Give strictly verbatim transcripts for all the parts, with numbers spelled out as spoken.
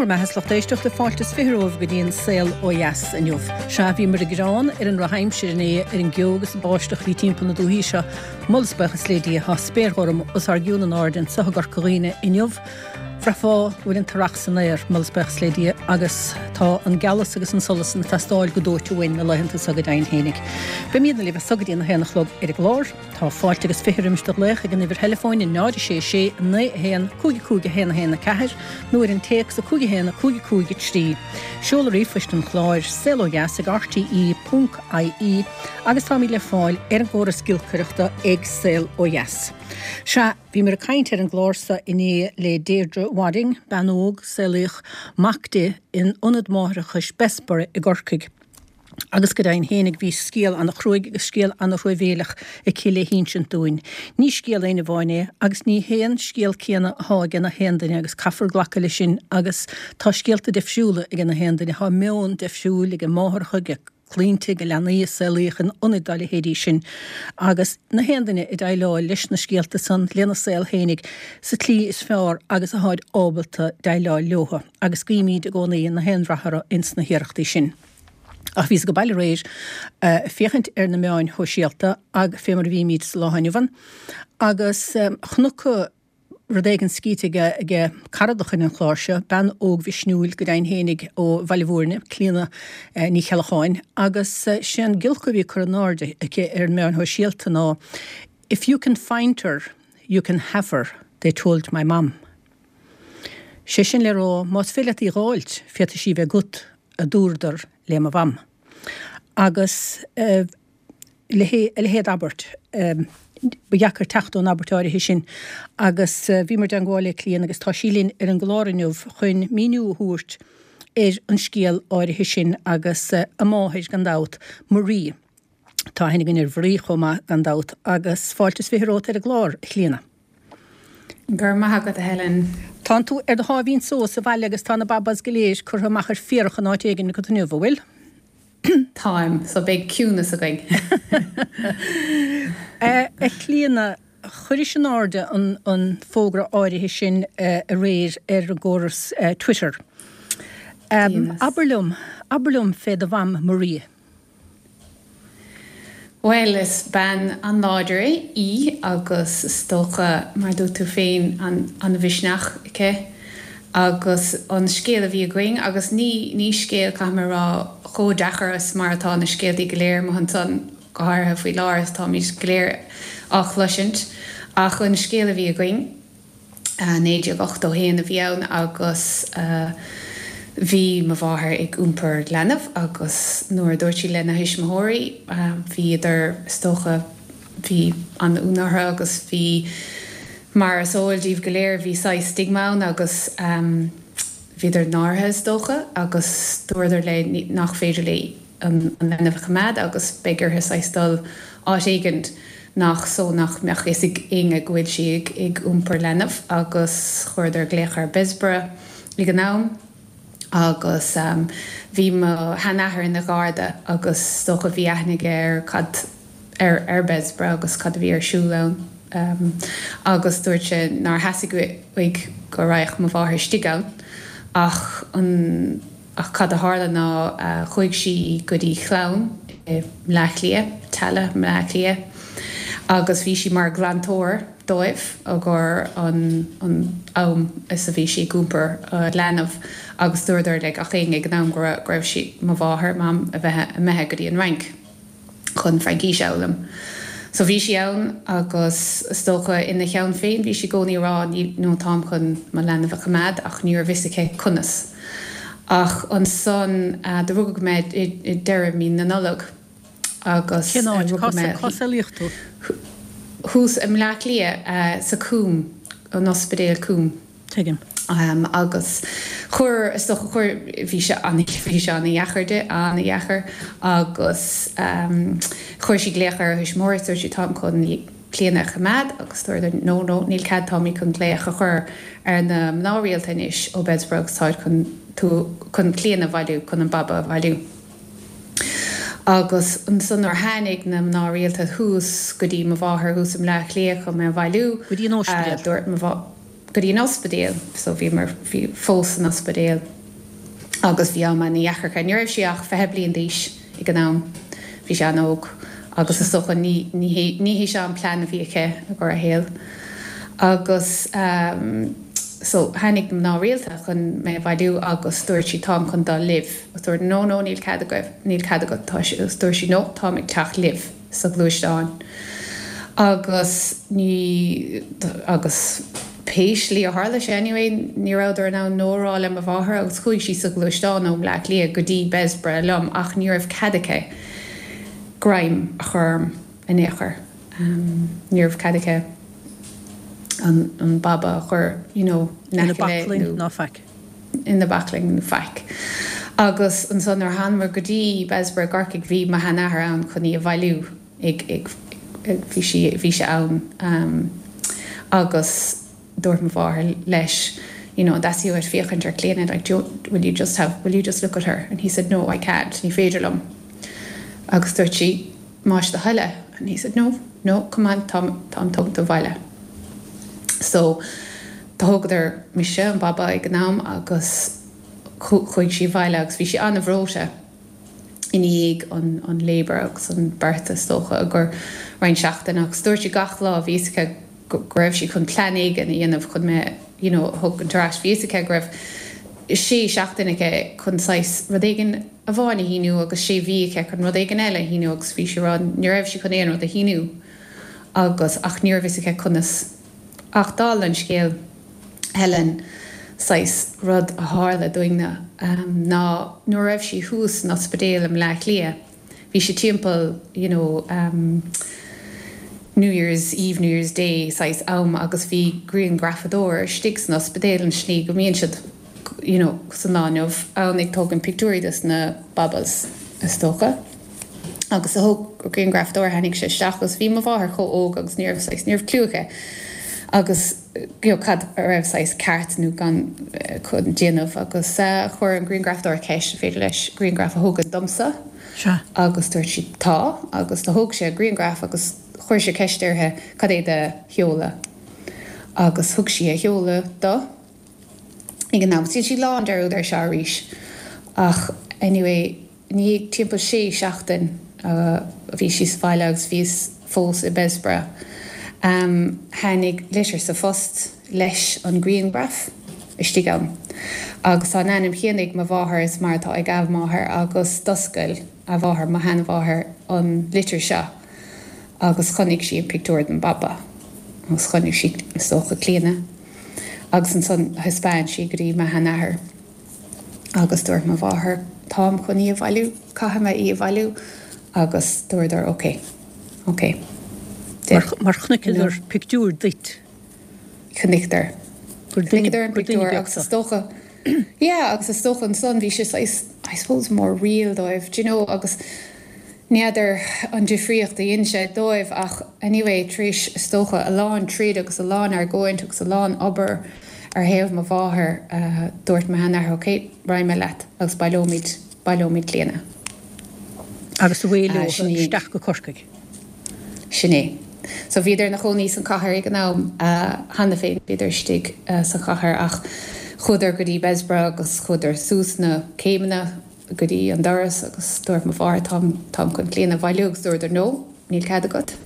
Bhur mbeatha is lucht éisteachta fáilte is fiche romhaibh go dtí an saol ó dheas inniu. Sea bhíomar ag gearán ar an ndrochaimsir inné ar an gceo agus an báisteach a bhí timpeall na dúichí seo. Moladh is buíochas le Dia tá spéir ghorm os ár gcionn in airde anseo i gCorca Dhuibhne inniu. Bhraithfeá go bhfuil an t-earrach san aer, moladh is buíochas le Dia, agus tá an gealas agus an solas ag teastáil go dóite uainn na laethanta seo go deimhin fhéinig. Beimidne libh as so go dtí an haon a chlog ar an gclár. Tá fáilte agus fiche roimis do ghlaoch ag an uimhir theileafóin náid sé sé naoi a haon cúig cúig a haon a haon a ceathair nó ar an téacs a cúig a haon a cúig cúig a trí. Seoladh ríomhphoist an chláir saol ó dheas ag RTE ponc IE agus táimid le fáil ar an gcóras giolcaireachta ag saol ó dheas. Sea, bhíomar ag caint ar an gclár seo inné le Deirdre Wadding, bean óg saolaíodh mac di in ionad máithreachais Bessborough i gCorcaigh. Agus go deimhin fhéinig bhí scéal an-chruaidh agus scéal an-truamhéileach aici le hinsint dúinn. Ní scéal aon amháin é agus ní haon scéal céanna atá ag na haon duine agus caithfear glacadh leis sin agus tá scéalta difriúla ag na haon duine, tá meon difriúil ag an máithreacha, ag clainne ag leanaí a saolaíodh in ionaid dá leithéidí sin agus na haon duine ag déileáil leis na scéalta san lena saol fhéinig sa tslí is fearr agus atáid ábalta déileáil leo agus guímid i gcónaí na haon rath orthu ins na hiarrachtaí sin. Ach bhíos ag baile aréir uh, féachaint ar na meáin shóisialta ag fé mar a bhímid sa lá inniu agus um, chonac rud éigin scríte aige aige cara de chuid an chláir seo, bean óg mhisniúil go deimhin fhéinig ó Bhaile Bhúirne, Clíona eh, Ní Cheallacháin, agus eh, sé an giolc a bhí curtha in airde aici ar an meán shóisialta ná If you can find her, you can have her, they told my mum. Sé sin le rá más féidir leat í fháilt féadfaidh sí bheith agat a dúradar le mo mham. Agus uh, le leithéid abairt um, ba dheacair teacht ón abairt áirithe sin agus uh, bhíomar i dteagmháil le Clíona agus tá sí linn ar an gclár inniu chun míniú a thabhairt ar an scéal áirithe sin agus uh, a máthair gan dabht Marie. Tá aithne againn ar Mharie chomh maith gan dabht agus fáilte is fiche romhat ar an gclár Clíona. Gur maith agat a Helen. Tá tú ar do sháimhín só sa bhaile agus tá na babas go léir curtha amach ar féarach an áit éigin go inniu bhfuil? Táim, so beidh ciúnas againn. A Chlíona chuiris in airde an, an fógra áirithe sin uh, aréir ar an gcóras uh, Twitter. Um, Abair liom, abair liom fé do mham Marie. Well is bean an-láidir í agus is dócha mar dúirt tú féin an, an mhisneach aici agus an scéal a bhí againn agus ní ní scéal caithfidh mé rá chomh deacair is mar atá na scéaltaí go léir mar ansan go háirithe faoi láthair táimid go léir á chloisint ach an scéal a bhí againn naoi déag ochtó haon a bhí ann agus uh, bhí mo mháthair ag iompar leanbh agus nuair a dúirt sí lena thuismitheoirí bhíodar is dócha bhí an-ionadh orthu agus bhí mar is eol daoibh go léir bhí saghas stigma ann agus um, bhíodar náirithe is dócha agus dúradar léi nach féidir léi an, an leanbh a choimeád agus beidh uirthi saghas dul áit éigin nach so nach mbeadh fhios ag éinne go bhfuil sí ag, ag iompar leanbh agus chuireadar glaoch ar Bessborough ag an am agus um, bhí mo sheanathair ina gharda agus dócha bhí aithne ar cad ar ar Bessborough agus cad a bhí ar siúl ann. Um, agus dúirt sé nár theastaigh uaidh go raghadh mo mháthair istigh ann ach an ach cad a tharla ná uh, chuaigh sí go dtí clann i mBleá Cliath, Tallaght Bleá Cliath, agus bhí sí mar ghlantóir dóibh agur an an am is a bhí sí ag iompar uh, leanbh agus dúradar le gach éinne ag an am go raibh sí mo mháthair mam a bheith imithe go dtí an Fhrainc chun Fraincis a fhoghlaim. So bhí sí ann agus is dócha ina cheann féin bhí sí i gcónaí rá nó táim chun mo leanbh a choimeád ach ní raibh fhios aici conas. Ach ansan uh, do rugadh mé i, i deireadh mí na Nollag agus Cén áit cá saolaíodh tú? Thuas i mBleá Cliath uh, sa Coombe an ospidéal Coombe. Tuigim. Um, agus chuir is dócha chuir bhí sé an bhí sé an-deacair di an-deacair agus um, chuir sí glaoch ar thuismitheoirí dúirt sí táim chun Clíona a choimeád agus dúradar no no níl cead táimid chun glaoch a chur ar na mná rialta anois ó Bessborough táid chun tú chun Clíona a bhailiú chun an baba a bhailiú. Agus ansan nuair tháinig na mná rialta thuas go dtí mo mháthair thuas i mBleá Cliath chun mé a bhailiú Go dtí an ospidéal. dúirt mo go dtí an ospidéal so bhíomar bhí fós san ospidéal agus bhí am an-deacair aici. Ní raibh sí ach fiche bliain d'aois ag an am, bhí sí an-óg agus is dócha ní ní ní hé seo an plean a bhí aici i gcomhair a shaol. Agus um, so tháinig mná rialta chun mé a bhailiú agus dúirt sí táim chun dul libh. Agus dúirt no no níl cead agaibh, níl cead agat tá sí agus dúirt sí no táim ag teacht libh sa ghluaisteán. Agus ní agus pé slí a tharla sé anyway ní rabhadar in ann no a rá le mo mháthair agus chuaigh sí sa ghluaisteán ó Bleá Cliath go dtí Bessborough liom ach ní raibh cead aici greim a chur orm in aon chor. Um, ní raibh cead aici an, an baba a chur you know, Ina baclainn ná faic. ina baclainn nó faic. Agus ansan nuair a thángamar go dtí Bessborough i gCorcaigh bhí mo sheanathair ann chun í a bhailiú ag ag bhí sí bhí sé ann um, agus dúirt mo mháthair leis you know, that's you at féachaint ar Clíona like do, will you just have will you just look at her and he said no I can't ní féidir liom agus dúirt sí más do thoil é and he said no no come on táim táim tógtha abhaile so do thógadar mise an baba ag an am agus chuaigh sí abhaile agus bhí sí an-bhreoite i ndiaidh an an labour agus an birth is dócha a gur roinnt seachtain agus dúirt sí gach lá bhí aici go raibh sí chun plean éigin a dhéanamh chun mé you know, thógaint ar ais bhí aici go raibh sé seachtain aici chun saghas rud éigin amháin a shíniú agus sé mhí aici chun rud éigin eile a shíniú agus bhí sí rá ní raibh sí chun aon rud a shíniú agus ach ní raibh aici conas ach dála an scéil Helen saghas rud a tharla dúinne um, ná nuair a raibh sí thuas san ospidéal i mBleá Cliath. Bhí sé timpeall you know, um, New Year's Eve, New Year's Day saghas am agus bhí grianghrafadóir istigh san ospidéal an slí go mbíonn siad you know, san lá inniu ann ag tógaint pictiúirí des na babas is dócha. Agus a thóg grianghrafadóir tháinig sé isteach agus bhí mo mháthair chomh óg agus ní raibh saghas ní raibh clue aici. Agus you know, cad a raibh saghas ceart nó gan eh, chun déanamh agus uh, chuir an grianghrafadóir ceist féidir leis grianghraf a thógaint domsa. Sea. agus dúirt sí tá agus do thóg sé grianghraf agus chuir sé ceist uirthi cad é do sheoladh. Agus thug sí a sheoladh dó ag an am. Sí lán dearúd ar seo arís. Ach anyway, ní timpeall sé seachtain uh, bhí sí sa bhaile agus bhíos fós i Bessborough. Um, tháinig litir sa phost leis an grianghraf istigh ann. Agus tá an ainm céanna ag mo mháthair is mar atá ag a máthair agus d'oscail a mháthair mo sheanmháthair an litir seo agus chonaic sí an pictiúr den baba agus chonaic sí is dócha Clíona. Agus ansan thaispeáin sí go dtí mo sheanathair agus dúirt mo mháthair táim chun í a bhailiú caithfidh mé í a bhailiú agus dúradar ok ok. Mar, mar chonaiceadar pictiúr duit. Chonaiceadar. Gur duine- Chonaiceadar an gur duine pictiúr beag agus sa. is dócha Yeah, agus is dócha ansan bhí sé saghas, I suppose more real dóibh, do you know, agus n'fheadar an difríocht a dhein sé dóibh ach anyway tar éis is dócha a lán troid agus a lán argóint agus a lán obair ar thaobh mo mháthair uh, dúirt mo sheanathair ok raghaidh mé leat agus baileoimid baileoimid Clíona. Agus a bhfuil Ah, sin í. isteach go Corcaigh. Sin é. So bhíodar ina chónaí san chathair ag an am uh, cheana féin bhíodar istigh uh, sa chathair ach chuadar go dtí Bessborough agus chuadar suas na céimeanna go dtí an doras agus dúirt mo mháthair táim táim chun Clíona a bhailiú agus dúradar no, níl cead agat.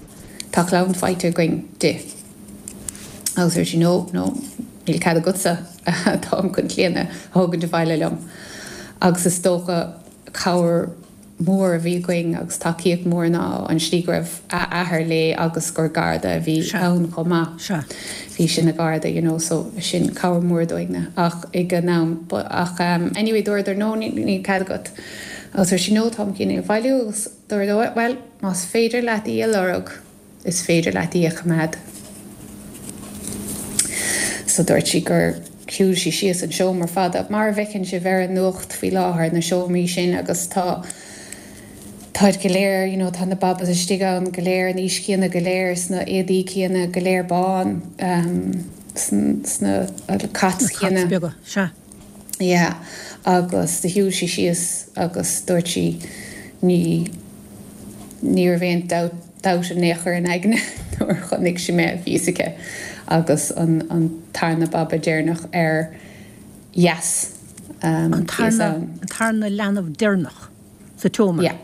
Tá clann faighte againn di. Agus dúirt sí no, no, níl cead agatsa táim chun Clíona a thógaint abhaile liom. Agus is dócha cabhair mór a bhí againn agus tacaíocht mór ná an slí go raibh a athair léi agus gur garda a bhí Sea. ann chomh maith. Sea. Bhí sin na garda, you know, so sin cabhair mór dúinne ach ag an am but ach um, anyway dúradar no ní ní cead agat. Agus dúirt sí no táim chun í a bhailiú agus dúradar well más féidir leat í a lorg is féidir leat í a choimeád. So dúirt sí gur shiúil sí síos an seomra fada mar a bhfeiceann sibh ar an nuacht faoi láthair na seomraí sin agus tá Táid go léir, you know, tá na babas istigh ann go léir an aois chéanna go léir sna éadaí céanna go léir bán um, sna sna cots céanna. Beaga. Sea. Yeah, agus do shiúil sí síos agus dúirt sí ní ní raibh aon dabht in aon chor in aigne nó nuair a chonaic sí mé bhí fhios aici agus an an tarna baba deireanach ar dheas um, An tarna, an tarna leanbh deireanach sa tseomra. Yeah.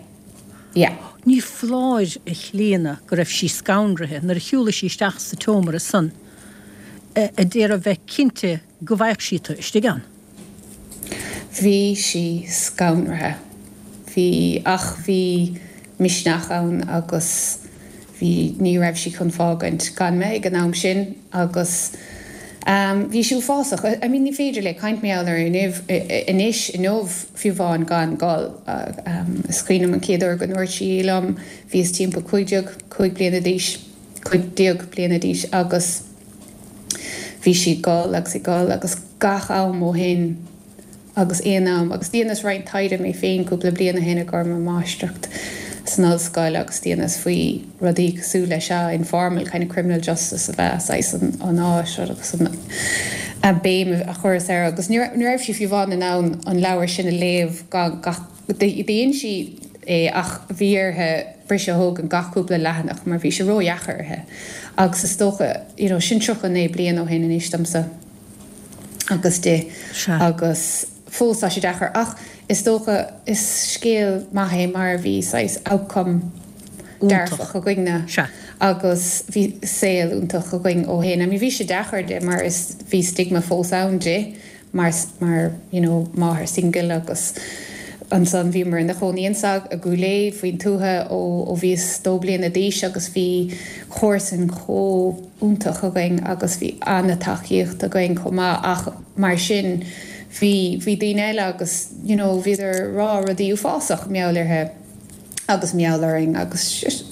Yeah. Ní foláir a Chlíona go raibh sí scanraithe nuair a shiúlaigh sí isteach sa tseomra san a d'iarraidh bheith cinnte go bhfaigheadh sí tú istigh ann. Bhí sí scanraithe. Bhí ach bhí misneach ann agus bhí ní raibh sí chun fágaint gan mé ag an am sin agus um, bhí sí uafásach. I mean, ní féidir le caint mar gheall air inniu anois inniu fiú amháin gan gol. Um, is cuimhin liom an chéad uair go ndúirt sí liom bhíos timpeall cúig déag cúig bliana d'aois cúig déag bliana d'aois agus bhí sí ag gol agus ag gol agus gach am ó shin agus aon am agus dheineas roinnt taighde mé féin cúpla bliain ó shin i gcomhair mo mháistreacht san ollscoil agus dheineas faoi rudaí cosúil le seo informal kind of criminal justice a bheith saghas an an áis agus an a béim a chuireas air agus ní ní raibh sí fiú amháin in ann an leabhar sin a léamh gan gach dhein sí é ach bhí uirthi briseadh a thógaint gach cúpla leathanach mar bhí sé ródheacair uirthi agus is dócha you know sin tríocha naoi bliain ó shin anois domsa agus di agus fós tá sé deacair ach is dócha is scéal maith é mar bhí saghas outcome dearfach againne agus bhí saol iontach againn ó shin. I mean bhí sé deacair di mar is bhí stigma fós ann di mar mar you know máthair single agus ansan bhíomar ina chónaí ansa i gCúil Aodha faoin tuath ó ó bhíos dó bliana d'aois agus bhí comharsain chomh iontach againn agus bhí an-tacaíocht againn chomh maith ach mar sin bhí bhí daoine eile agus you know bhíodar ag rá rudaí uafásach mar gheall uirthi agus mar gheall orainn agus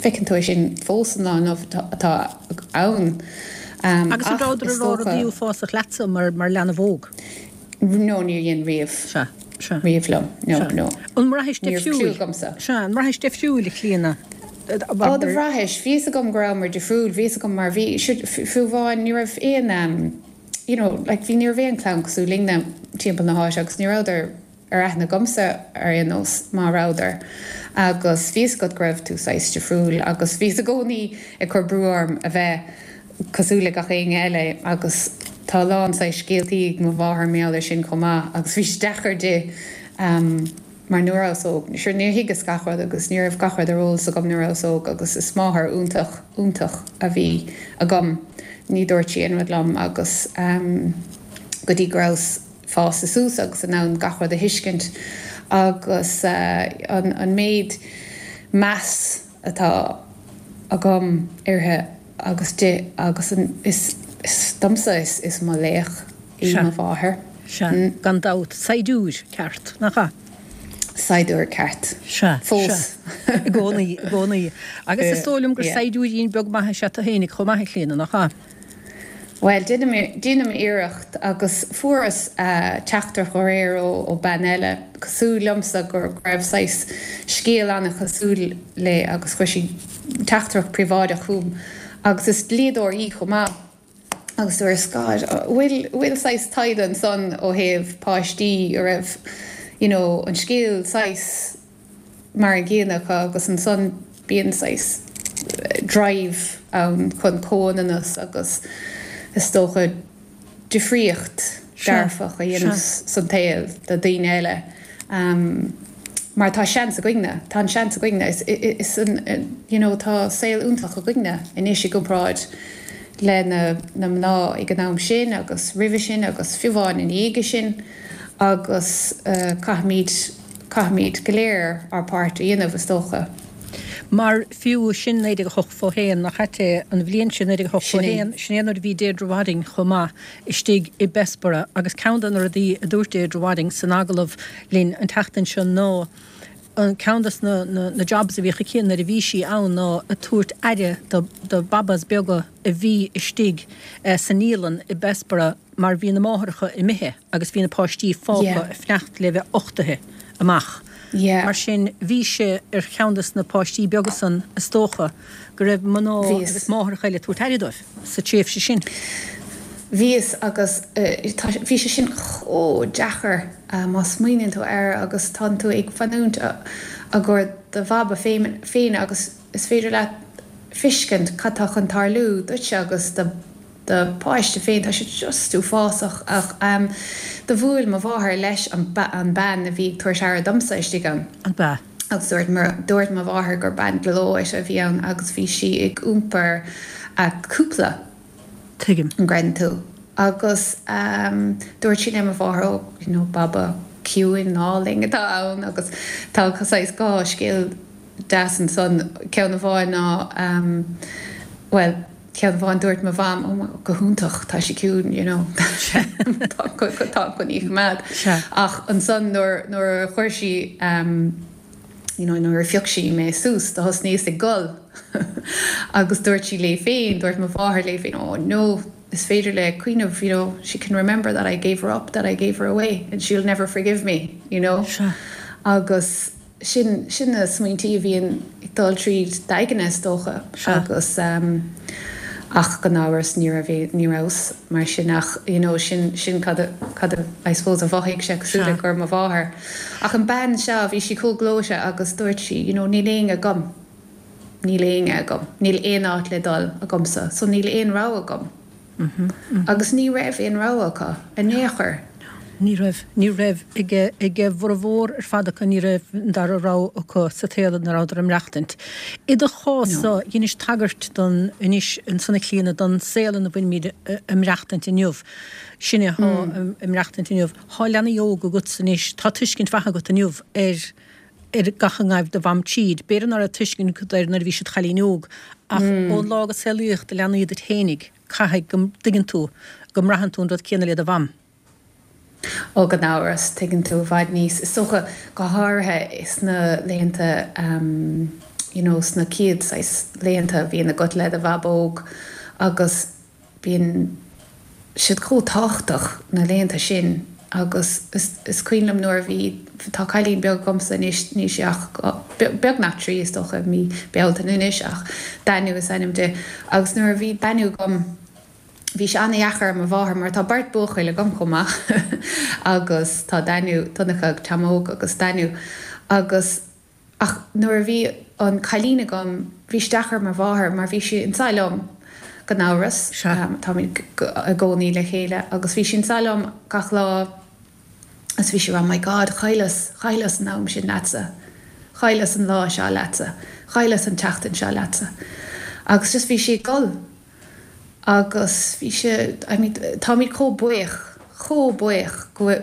feiceann tú é sin fós an lá inniu atá ann. Um, agus an rabhadar ag rá rudaí uafásach leatsa mar mar leanbh óg? No níor dhein riamh. Sea. Sea. Riamh liom. No, Sea. no. An mbraithis Ní raibh difriúil? clue agamsa. Sea, an mbraithis difriúil a Chlíona? Ó, do bhraithis. Bhí fhios agam go rabhamar difriúil. Bhí fhios agam mar bhí, fiú amháin, ní raibh aon, um, you know, like bhí, ní raibh aon clann cosúil linne timpeall na háite agus ní rabhadar ar aithne agamsa ar aon nós má rabhadar. Agus bhí fhios agat go raibh tú saghas difriúil agus bhíos i gcónaí ag cur brú orm a bheith cosúil le gach éinne eile agus tá a lán saghas scéaltaí ag mo mháthair mar gheall air sin chomh maith agus bhí sé deacair di mar ní rabhas óg, sure níor thuigeas gach rud agus ní raibh gach rud ar eolas agam nuair a rabhas óg agus is máthair iontach, iontach a bhí agam, ní dúirt sí aon rud liom agus go dtí go rabhas fásta suas agus in ann gach rud a thuiscint agus an an méid meas atá agam uirthi agus di agus an is is domsa is is mo laoch í Sea. mo mháthair. Sea, gan dabht. Saighdiúir ceart, nach ea? Saighdiúir ceart. Sea, Fós. sea. I gcónaí, i gcónaí. Agus is dóigh liom gur Yeah. saighdiúirín beag maith is ea tú fhéinig chomh maith, a Chlíona, nach ea? Bhuel, déanaim iarracht agus fuaireas teachtaireacht aréir ó bean eile cosúil liomsa go raibh saghas scéal an-chosúil léi agus chuir sí teachtaireacht príobháideach chugam agus is dlíodóir í chomh maith agus dúirt God, bhfuil bhfuil saghas taighde ansan ó thaobh páistí a raibh you know an scéal saghas mar an gcéanna acu agus ansan bíonn saghas drive ann chun comhionannas agus is dócha difríocht dearfach a dhéanamh san tsaol do daoine eile mar tá seans againne, tá an seans againne, is an you know tá saol iontach againne anois i gcomparáid le na na mná ag an am sin agus roimhe sin agus fiú amháin ina dhiaidh sin agus caithfimid caithfimid go léir ár páirt a dhéanamh is dócha. Mar fiú sin naoi déag a hocht fó haon, nach ait é an bhliain sin naoi déag a hocht fó haon, sin é nuair a bhí Deirdre Wadding chomh maith istigh i Bessborough agus ceann de na rudaí a dúirt Deirdre Wadding san agallamh linn an tseachtain seo ná an ceann des na na jobs a bhíodh aici nuair a bhí sí ann ná ag tabhairt aire do do babas beaga a bhí istigh sa naíolann i Bessborough mar bhí na máithreacha imithe agus bhí na páistí fágtha ag fanacht le bheith uchtaithe amach. Mar sin, bhí sé ar cheann de na páistí beaga san, is dócha, go raibh mná agus máithreacha eile ag tabhairt aire dóibh sa tréimhse sin. Bhíos agus bhí sé sin chomh deacair má smaoiníonn tú air agus tánn tú ag fanúint i gcomhair do bhaba féin agus is féidir leat fiscint cad tá chun tarlú duitse agus do do pháiste féin, tá sé just uafásach ach um, do bhuail mo mháthair leis an, an bean a bhí ag tabhairt aire domsa istigh ann. An bea. Agus dúirt dúirt mo mháthair gur bean gleoite a bhí ann agus bhí sí ag iompar a cúpla. Tuigim. An gcreideann tú. Agus um, dúirt sí le mo mháthair ó you know, baba ciúin álainn atá ann agus tá saghas dhá scéal deas ansan ceann amháin ná um, well ceann amháin dúirt mo mham oh, go hiontach tá sí ciúin you know tá tá chun í choimeád ach ansan nuair nuair a chuir sí um, you know, nuair a phioc sí mé suas do thosnaíos ag gol agus dúirt sí léi féin dúirt mo mháthair léi féin oh no is féidir léi cuimhneamh you know she can remember that I gave her up that I gave her away and she'll never forgive me you know Sea. agus sin sin na smaointí a bhíonn ag dul tríd d'aigne is dócha Sea. agus um, ach gan amhras ní raibh ní rabhas mar sin ach you know, sin sin cad a- cad a I suppose a mhothaigh sé cosúil Sea. le gur mo mháthair. Ach an bean seo bhí sí chomh gleoite agus dúirt sí you know, níl éinne agam. Níl éinne agam. Níl aon áit le dul agamsa, so níl aon rogha agam. Agus ní raibh aon rogha acu in aon chor. Ní raibh ní raibh ag ag a bhformhór ar fad acu ní raibh an dara rogha acu sa tsaol ina rabhadar ag maireachtaint. I do chás-sa dheinis tagairt don anois ansan a Chlíona don saol ina bhfuilimid ag maireachtaint inniu. Sinne atá ag maireachtaint inniu. Tá leanaí óga agatsa anois, tá tuiscint mhaith agat inniu ar ar gach a ngabh do mham tríd. B'fhéidir nach raibh tuiscint agat air nuair a bhí siad cailín óg, ach ón lá go saolaíodh do leanaí duit fhéinig, caithfidh go dtuigeann tú go mbraitheann tú an rud céanna le do mham. Ó gan amhras tuigeann tú i bhfad níos is dócha go háirithe sna laethanta um, you know, sna chéad saghas laethanta a bhíonn agat le do bhabóg agus bíonn siad chomh tábhachtach na laethanta sin agus is, is cuimhin liom nuair a bhí tá cailín beag agamsa anois níl sí ach beagnach trí is dócha mí Bealtaine anois ach Daniel is ainm di agus nuair a bhí Daniel agam bhí sé an-deacair ar mo mháthair mar tá beirt buachaill agam chomh maith agus tá Daniel Donncha Tamóg agus Daniel agus ach nuair a bhí an cailín agam bhí sé deacair ar mo mháthair mar bhí sí anseo liom gan amhras Sea. um, táimid i gcónaí le chéile agus bhí sí anseo liom gach lá agus bhí sí rá my God chailleas chailleas an am sin leatsa chailleas an lá seo leatsa chailleas an tseachtain seo leatsa agus just bhí sí ag gol agus bhí sé I mean, táimid chomh buíoch chomh buíoch go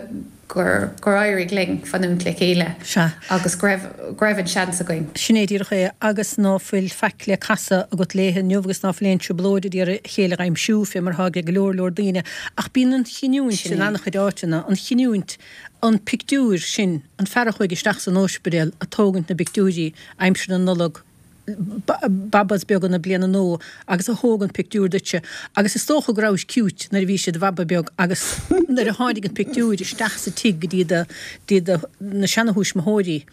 gur gur éirigh linn fanúint le chéile Sea. agus go raibh go raibh an seans againn. Sin é díreach é agus ná fuil faic le casadh agat léi inniu agus ná fuil aon trioblóid ag iarraidh a chéile a aimsiú fé mar atá ag go leor leor daoine ach bíonn an chinniúint Sin in é. an-chuid áiteanna an chinniúint an pictiúr sin an fear a chuaigh isteach san ospidéal ag tógaint na bpictiúirí aimsir na Nollag babas beaga na bliana nua agus a thóg an pictiúr duitse agus is dócha go rabhais cute nuair a bhí siad baba beag agus nuair a tháinig an pictiúr isteach sa tigh go dtí do dtí do na seanathuismitheoirí.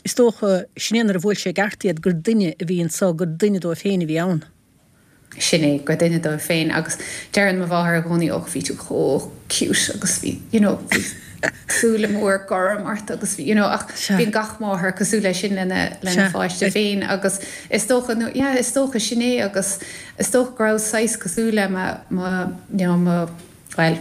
Is dócha sin é nuair a bhuail sé i gceart iad gur duine a bhí anseo gur duine dóibh féin a bhí ann. Sin é gur duine dóibh féin agus deireann mo mháthair i gcónaí ó bhí tú chomh cute agus bhí you know, bhí súile mór gorm ort agus bhí you know, ach Sea. bíonn gach máthair cosúil leis sin lena lena Sea. pháiste féin agus is dócha nó yeah, is dócha sin é agus is dócha go raibh saghas cosúil le mo mo you know, mo well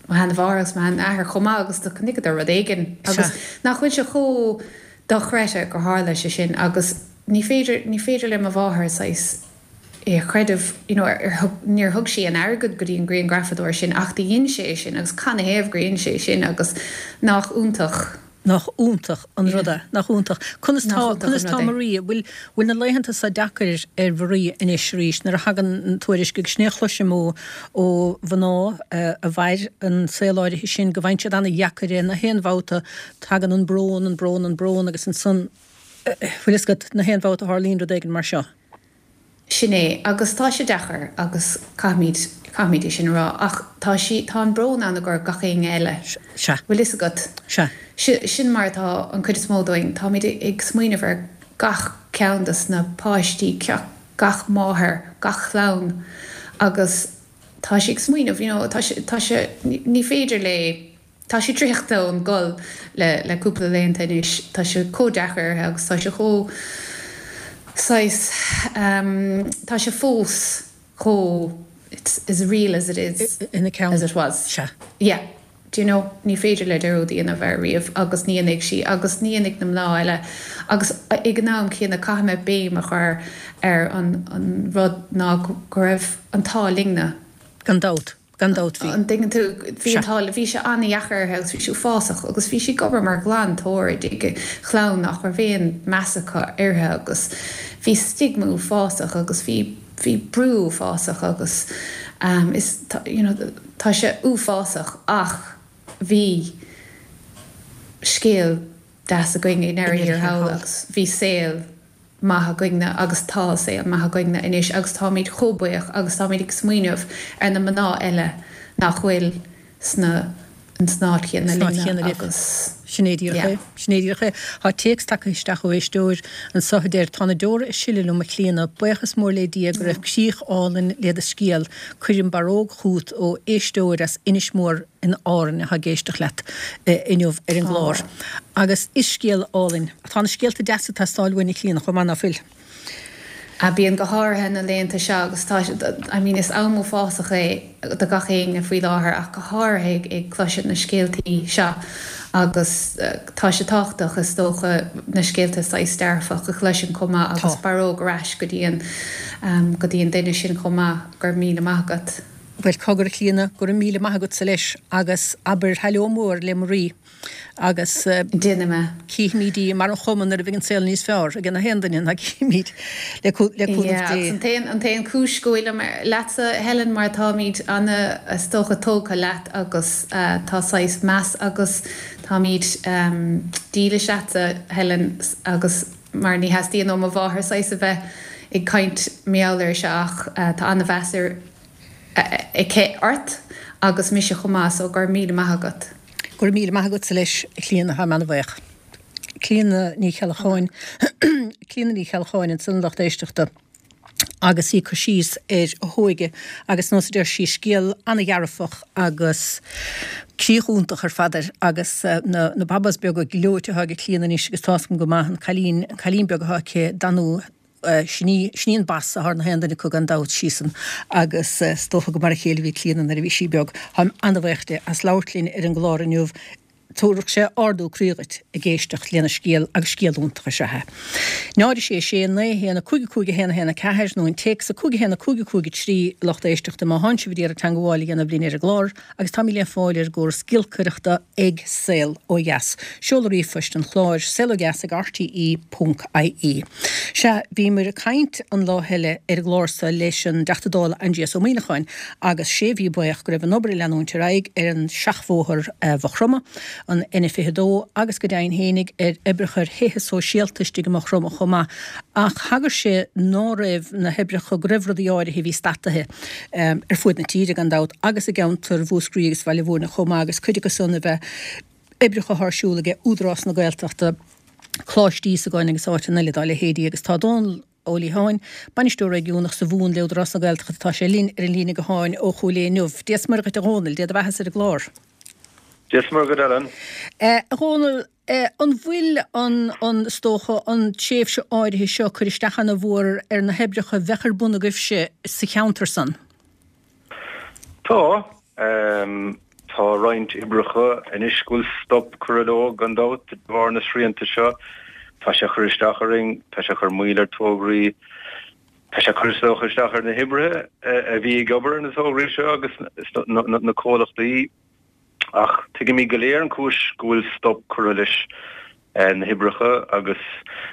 mo sheanmháthair agus mo sheanathair chomh maith agus do chonaiceadar rud éigin agus Sea. nach bhfuil sé chomh dochreidte gur tharla sé sin agus ní féidir ní féidir le mo mháthair saghas é a chreideamh you know, ar, ar thug, níor thug sí an airgead go dtí an grianghrafadóir sin ach do dhein sé sin agus canathaobh gur dhein sé sin agus nach iontach. Nach iontach an Yeah. rud é nach iontach. Conas Nach tá iontach conas an tá rud é. Maria bhfuil bhfuil na laethanta seo deacair ar Mharia anois arís nuair a thagann an tuairisc agus sin é a chloisim ó ó mhná eh, a mhair an saol áirithe sin go bhfaigheann siad an-dheacair é na haon bhabhta tagann an brón an brón an brón agus ansan eh, bhfuil fhios agat na haon bhabhta a tharlaíonn rud éigin mar seo. Sin é agus tá sé deacair agus caithfimid caithfimid é sin a rá ach tá sí tá an brón ann gur gach éinne eile. Sea. Bhfuil fhios agat. Sea. Si- Sin mar atá an chuid is mó dúinn táimid ag smaoineamh ar gach ceann des na páistí ceach gach máthair gach clann agus tá sí ag smaoineamh you know, tá sé tá sé ní ní féidir le tá sí traochta ón gol le le cúpla laethanta anois tá sé chomh deacair agus tá sé chomh saghas tá sé fós chomh it's as real as it is ina ceann as it was. Sea. Yeah. Do you know, ní féidir le dearúd a dhéanamh air riamh agus ní dhéanfaidh sí agus ní dhéanfaidh na mná eile agus ag an am céanna caithfidh mé béim a chur ar an an rud ná go raibh an t-ádh linne. Gan dabht. Gan dabht bhí. An dtuigeann tú, bhí an t-ádh, bhí sé an-dheacair uirthi agus bhí sí uafásach agus bhí sí ag obair mar ghlantóir i dtigh chlann nach raibh aon meas acu uirthi agus bhí stigma uafásach agus bhí, bhí brú uafásach agus is, you know, tá sé uafásach ach bhí scéal deas againn i ndeireadh thiar thall agus bhí saol maith againne agus tá saol maith againne anois agus táimid chomh buíoch agus táimid ag smaoineamh ar na mná eile nach bhfuil sna san áit chéanna linne agus. Sin é díreach é. Sin é díreach é. Tá téacs tagtha isteach ó éisteoir anso a deir, Tá na deora ag sileadh liom a Chlíona, buíochas mór le Dia go raibh críoch álainn le do scéal. Cuirim barróg chút ó éisteoir as Inis Mór in Árainn atá ag éisteacht leat inniu ar an gclár. Agus is scéal álainn. Tá na scéalta deasa ag teastáil uainn a Chlíona chomh maith ná fuil? A bíonn go háirithe na laethanta seo agus tá I mean is am uafásach é do gach éinne faoi láthair ach go háirithe ag cloisteáil na scéaltaí seo agus tá sé tábhachtach is dócha na scéalta saghas dearfach a chloisint chomh maith agus barróg ar ais go dtí an go dtí an duine sin chomh maith, go raibh míle maith agat. Bhuel cogar a Chlíona, go raibh míle maith agatsa leis agus abair heileo mór le Marie agus Déanfaidh mé. Cífimid í mar an chuma nuair a bheidh an saol níos fearr ag gach aon duine ná cífimid le cúnamh Yeah, Dé. agus an t-aon an t-aon chúis go bhfuilim leatsa Helen mar táimid ana is dócha tógtha leat agus tá saghas meas agus táimid dílis leatsa Helen agus mar ní theastaíonn ó mo mháthair saghas a bheith ag caint mar gheall air seo ach tá ana-mheas ar aici ort agus mise chomh maith so go raibh míle maith agat. Go raibh míle maith agatsa leis, a Chlíona, táim ana-bhuíoch. Clíona Ní Cheallacháin, Clíona Ní Cheallacháin ansan a lucht éisteachta agus í ag cur síos ar a hóige agus nós a deir sí scéal ana-dhearfach agus críoch iontach ar fad air agus na na babas beaga gleoite atá ag Clíona anois agus tá's agam go maith an cailín an cailín beag atá aici Danú Sin í, sin í an basa thar na haon duine acu gan dabht, síosan, agus is dócha gur mar a chéile a bhí Clíona nuair a bhí sí beag. Táim an-bhuíoch di as labhairt linn ar an gclár inniu. Tabharfaidh sé ardú croí dhuit ag éisteacht lena scéal agus scéal iontach is ea é. Náid a sé sé naoi a haon a cúig a cúig a haon a haon a ceathair nó an téacs a cúig a haon a cúig a cúig a trí a lucht éisteachta má thánn sibh ag iarraidh teangmháil a dhéanamh linn ar an gclár agus táimid le fáil ar an gcóras giolcaireachta ag Saol Ó Dheas. Seoladh ríomhphoist an chláir, saolodheas ag rte ponc ie. Sea, bhíomar ag caint an lá eile ar an gclár seo leis an dTeachta Dála Aindrias Ó Muimhneacháin agus sé a bhí baoch go raibh an obair ag leanúint ar aghaidh ar an seachbhóthar Mhaigh Chromtha, an N fiche a dó agus go deimhin fhéinig ar oibreacha ar thithe sóisialta istigh i Maigh Chromtha chomh maith ach thagair sé ná raibh na hoibreacha, go raibh rudaí áirithe a bhí stataithe ar fuaid na tíre gan dabht agus i gceantar Mhúscraí agus Bhaile Bhúirne chomh maith agus cuid acu san a bheith oibreacha atá ar siúl aige Údarás na Gaeltachta, Coláiste Íosagáin agus áiteanna eile dá leithéidí agus tá Dónal Ó Liatháin, Bainisteoir Réigiúnach sa Mhumhan le Údarás na Gaeltachta, tá sé linn ar an líne gutháin ó Chúil Aodha inniu. Dia 's Muire dhuit a Dhónaill, Dé do bheathasa ar an gclár. Dia 's Muire dhuit Ellen. A Dhónaill, an bhfuil an, an, is dócha, an tréimhse áirithe seo ag cur isteach ana mhór ar na hoibreacha a bheadh ar bun agaibhse sa cheantar san? Tá. Tá roinnt oibreacha anois go bhfuil stop curtha leo, gan dabht, de bharr na srianta seo. Tá sé ag cur isteach orainn, tá sé ag cur moill ar tograí, tá sé ag cur is dócha isteach ar na hoibrithe a bhí ag obair ar na tograí seo agus na comhlachtaí. Ach tuigimid go léir an chúis go bhfuil stop curtha leis na hoibreacha agus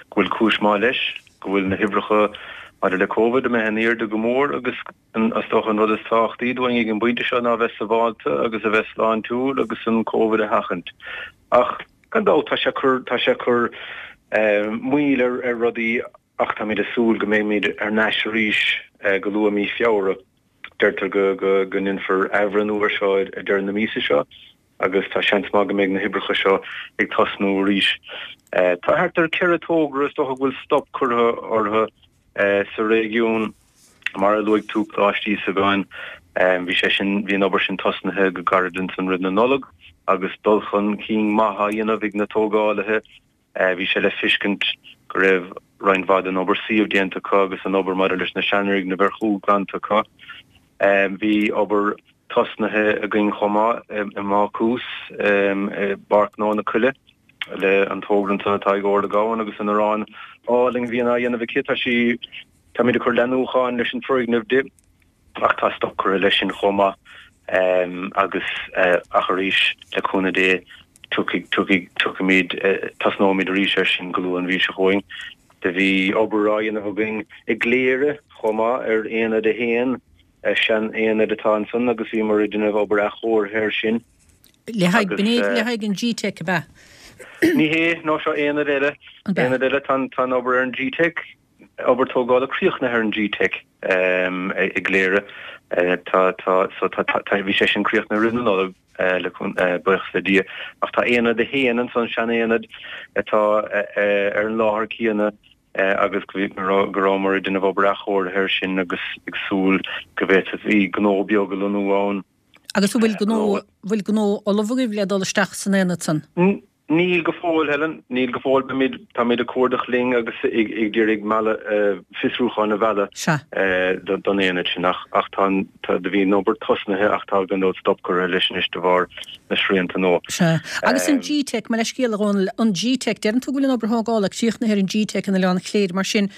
go bhfuil cúis maith leis, go bhfuil na hoibreacha maidir le Covid imithe in airde go mór agus is dócha an rud is tábhachtaí dúinn ag an bpointe seo ná a bheith sabháilte agus a bheith sláintiúil agus an Covid a sheachaint. Ach gan dabht tá sé ag cur, tá sé ag cur moill ar ar rudaí ach táimid ag súil go mbeimid ar n-ais arís go luath mí Feabhra. Deirtear go go go ndéanfar athbhreithniú ar seo ag deireadh na míosa seo agus tá seans maith go mbeidh na hoibreacha seo ag tosnú arís. Tá thart ar ceithre togra is dócha go bhfuil stop curtha orthu sa réigiún. Mar a luaigh tú, Coláiste Íosagáin, bhí sé sin, bhí an obair sin tosnaithe go gairid ansan roimh na Nollag agus dul chun cinn maith á dhéanamh ag na tógálaithe. Bhí sé le feiscint go raibh roinnt mhaith den obair suímh déanta acu agus an obair maidir leis na seanfhoirgnimh ar chúl glanta acu. Bhí obair tosnaithe againn chomh maith i mBácús i bPáirc Ghnó na Coille le an togra ansan atá ag Orla Gowan agus an arán álainn a bhíonn á dhéanamh aici. Tá sí, táimid ag cur leathnúcháin leis an foirgneamh di ach tá stop curtha leis sin chomh maith agus ach arís le cúnamh Dé tiocfaidh, tiocfaidh, tiocfaimid, tosnóimid arís air sin go luath an mhí seo chugainn. Do bhí obair á dhéanamh againn i gCléire chomh maith ar Aonad a haon, sean-aonad atá ansan agus bhíomar ag déanamh obair athchóirithe air sin. Le haghaidh, le haghaidh an G-Teic ab ea? Ní hé, nó seo aonad eile. Aonad eile, tá an obair ar an G-Teic, obair tógála críochnaithe ar an G-Teic i gCléire. Tá, tá, so tá, tá, bhí sé sin críochnaithe roimh na Nollag, le buíochas le Dia. Ach tá aonad a haon ansan, sean-aonad atá ar an láthair céanna agus go rabhamar ag déanamh obair athchóirithe air sin agus ag súil go bhféadfaí gnó beag a lonnú ann. Agus an bhfuil gnó, bhfuil gnó ullamh agaibh le dul isteach san aonad san? Níl go fóill, Helen, níl go fóill. Beimid, táimid ag cuardach linn agus ag iarraidh mealladh, fiosrúcháin a mhealladh don aonad sin ach, ach tá an, tá, do bhí an obair tosnaithe ach tá gan dabht stop curtha leis anois de bharr na srianta nua. Sea. Agus an G-Teic, mo leithscéal a Dhónaill, an G-Teic, deireann tú go bhfuil an obair thógála críochnaithe ar an G-Teic in Oileán Chléire, mar sin,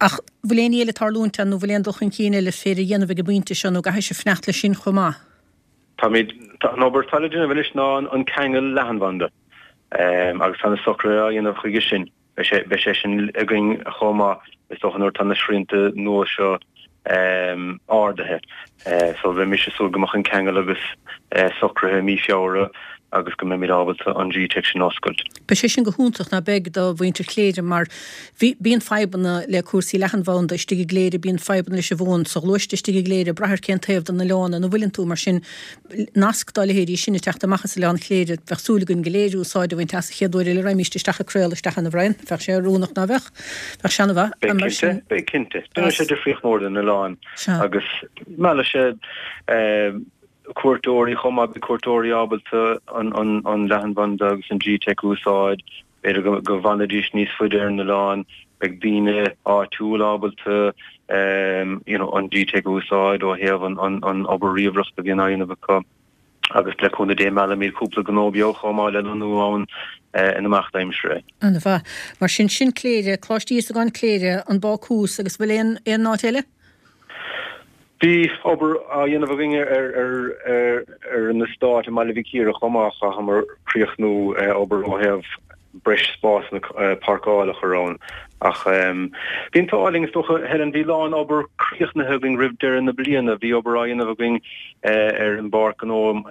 ach bhfuil aon ní eile ag tarlúint ann nó bhfuil aon dul chun cinn eile féidir a dhéanamh ag an bpointe seo nó an gcaithfidh sibh fanacht leis sin chomh maith? Táimid, tá an obair atá le déanamh anois ná an ceangal leathanbhanda agus tá na socruithe á dhéanamh chuige sin. Beidh sé, beidh sé sin againn chomh maith, is dócha, nuair atá na srianta nua seo ardaithe. So bheadh mise ag súil go mbeadh an ceangal agus socraithe i mí Feabhra agus go mbeimid ábalta an G-Teic sin a oscailt. Beidh sé sin go hiontach, ná beidh, do mhuintir Chléire mar bhí, bíonn fadhbanna le cúrsaí leathanbhanda istigh i gCléire, bíonn fadhbanna leis an bhfón sa ghluaiste istigh i gCléire, ag brath ar cén taobh den oileán ina bhfuileann tú, mar sin nasc dá leithéidí sin ag teacht amach as Oileán Chléire, bheadh súil againn go léir úsáid a bhaint as an chéad uair eile a raghaimíst isteach ag craoladh isteach ann, a Bhrian. Bheadh sé oiriúnach, ná beadh? Bheadh sé ana-mhaith. Beidh cinnte, beidh cinnte. Déanfaidh sé difríocht mhór don oileán agus meallfaidh sé cuairteoirí chomh maith, beidh cuairteoirí ábalta an leathanbhanda agus an G-Teic a úsáid, b'fhéidir go bhfanfaidís níos faide ar an oileán, beidh daoine áitiúil ábalta you know an G-Teic a úsáid ó thaobh an obair ríomhaireachta a bhíonn á dhéanamh acu agus le cúnamh Dé meallfaimid cúpla gnó beag chomh maith le lonnú ann in imeacht aimsire. An-mhaith. Mar sin, sin Cléire, Coláiste Íosagáin Cléire, an Bácús agus bhfuil aon aon áit eile? Bhí obair á dhéanamh againn ar an eastát i mBaile Mhic Íre chomh maith. Chaitheamar críochnú obair ó thaobh breis spásanna páirceála a chur ann. Ach bhí an t-ádh linn, is dócha, Helen, bhí a lán obair críochnaithe againn roimh deireadh na bliana. Bhí obair á dhéanamh againn ar an bpáirc ghnó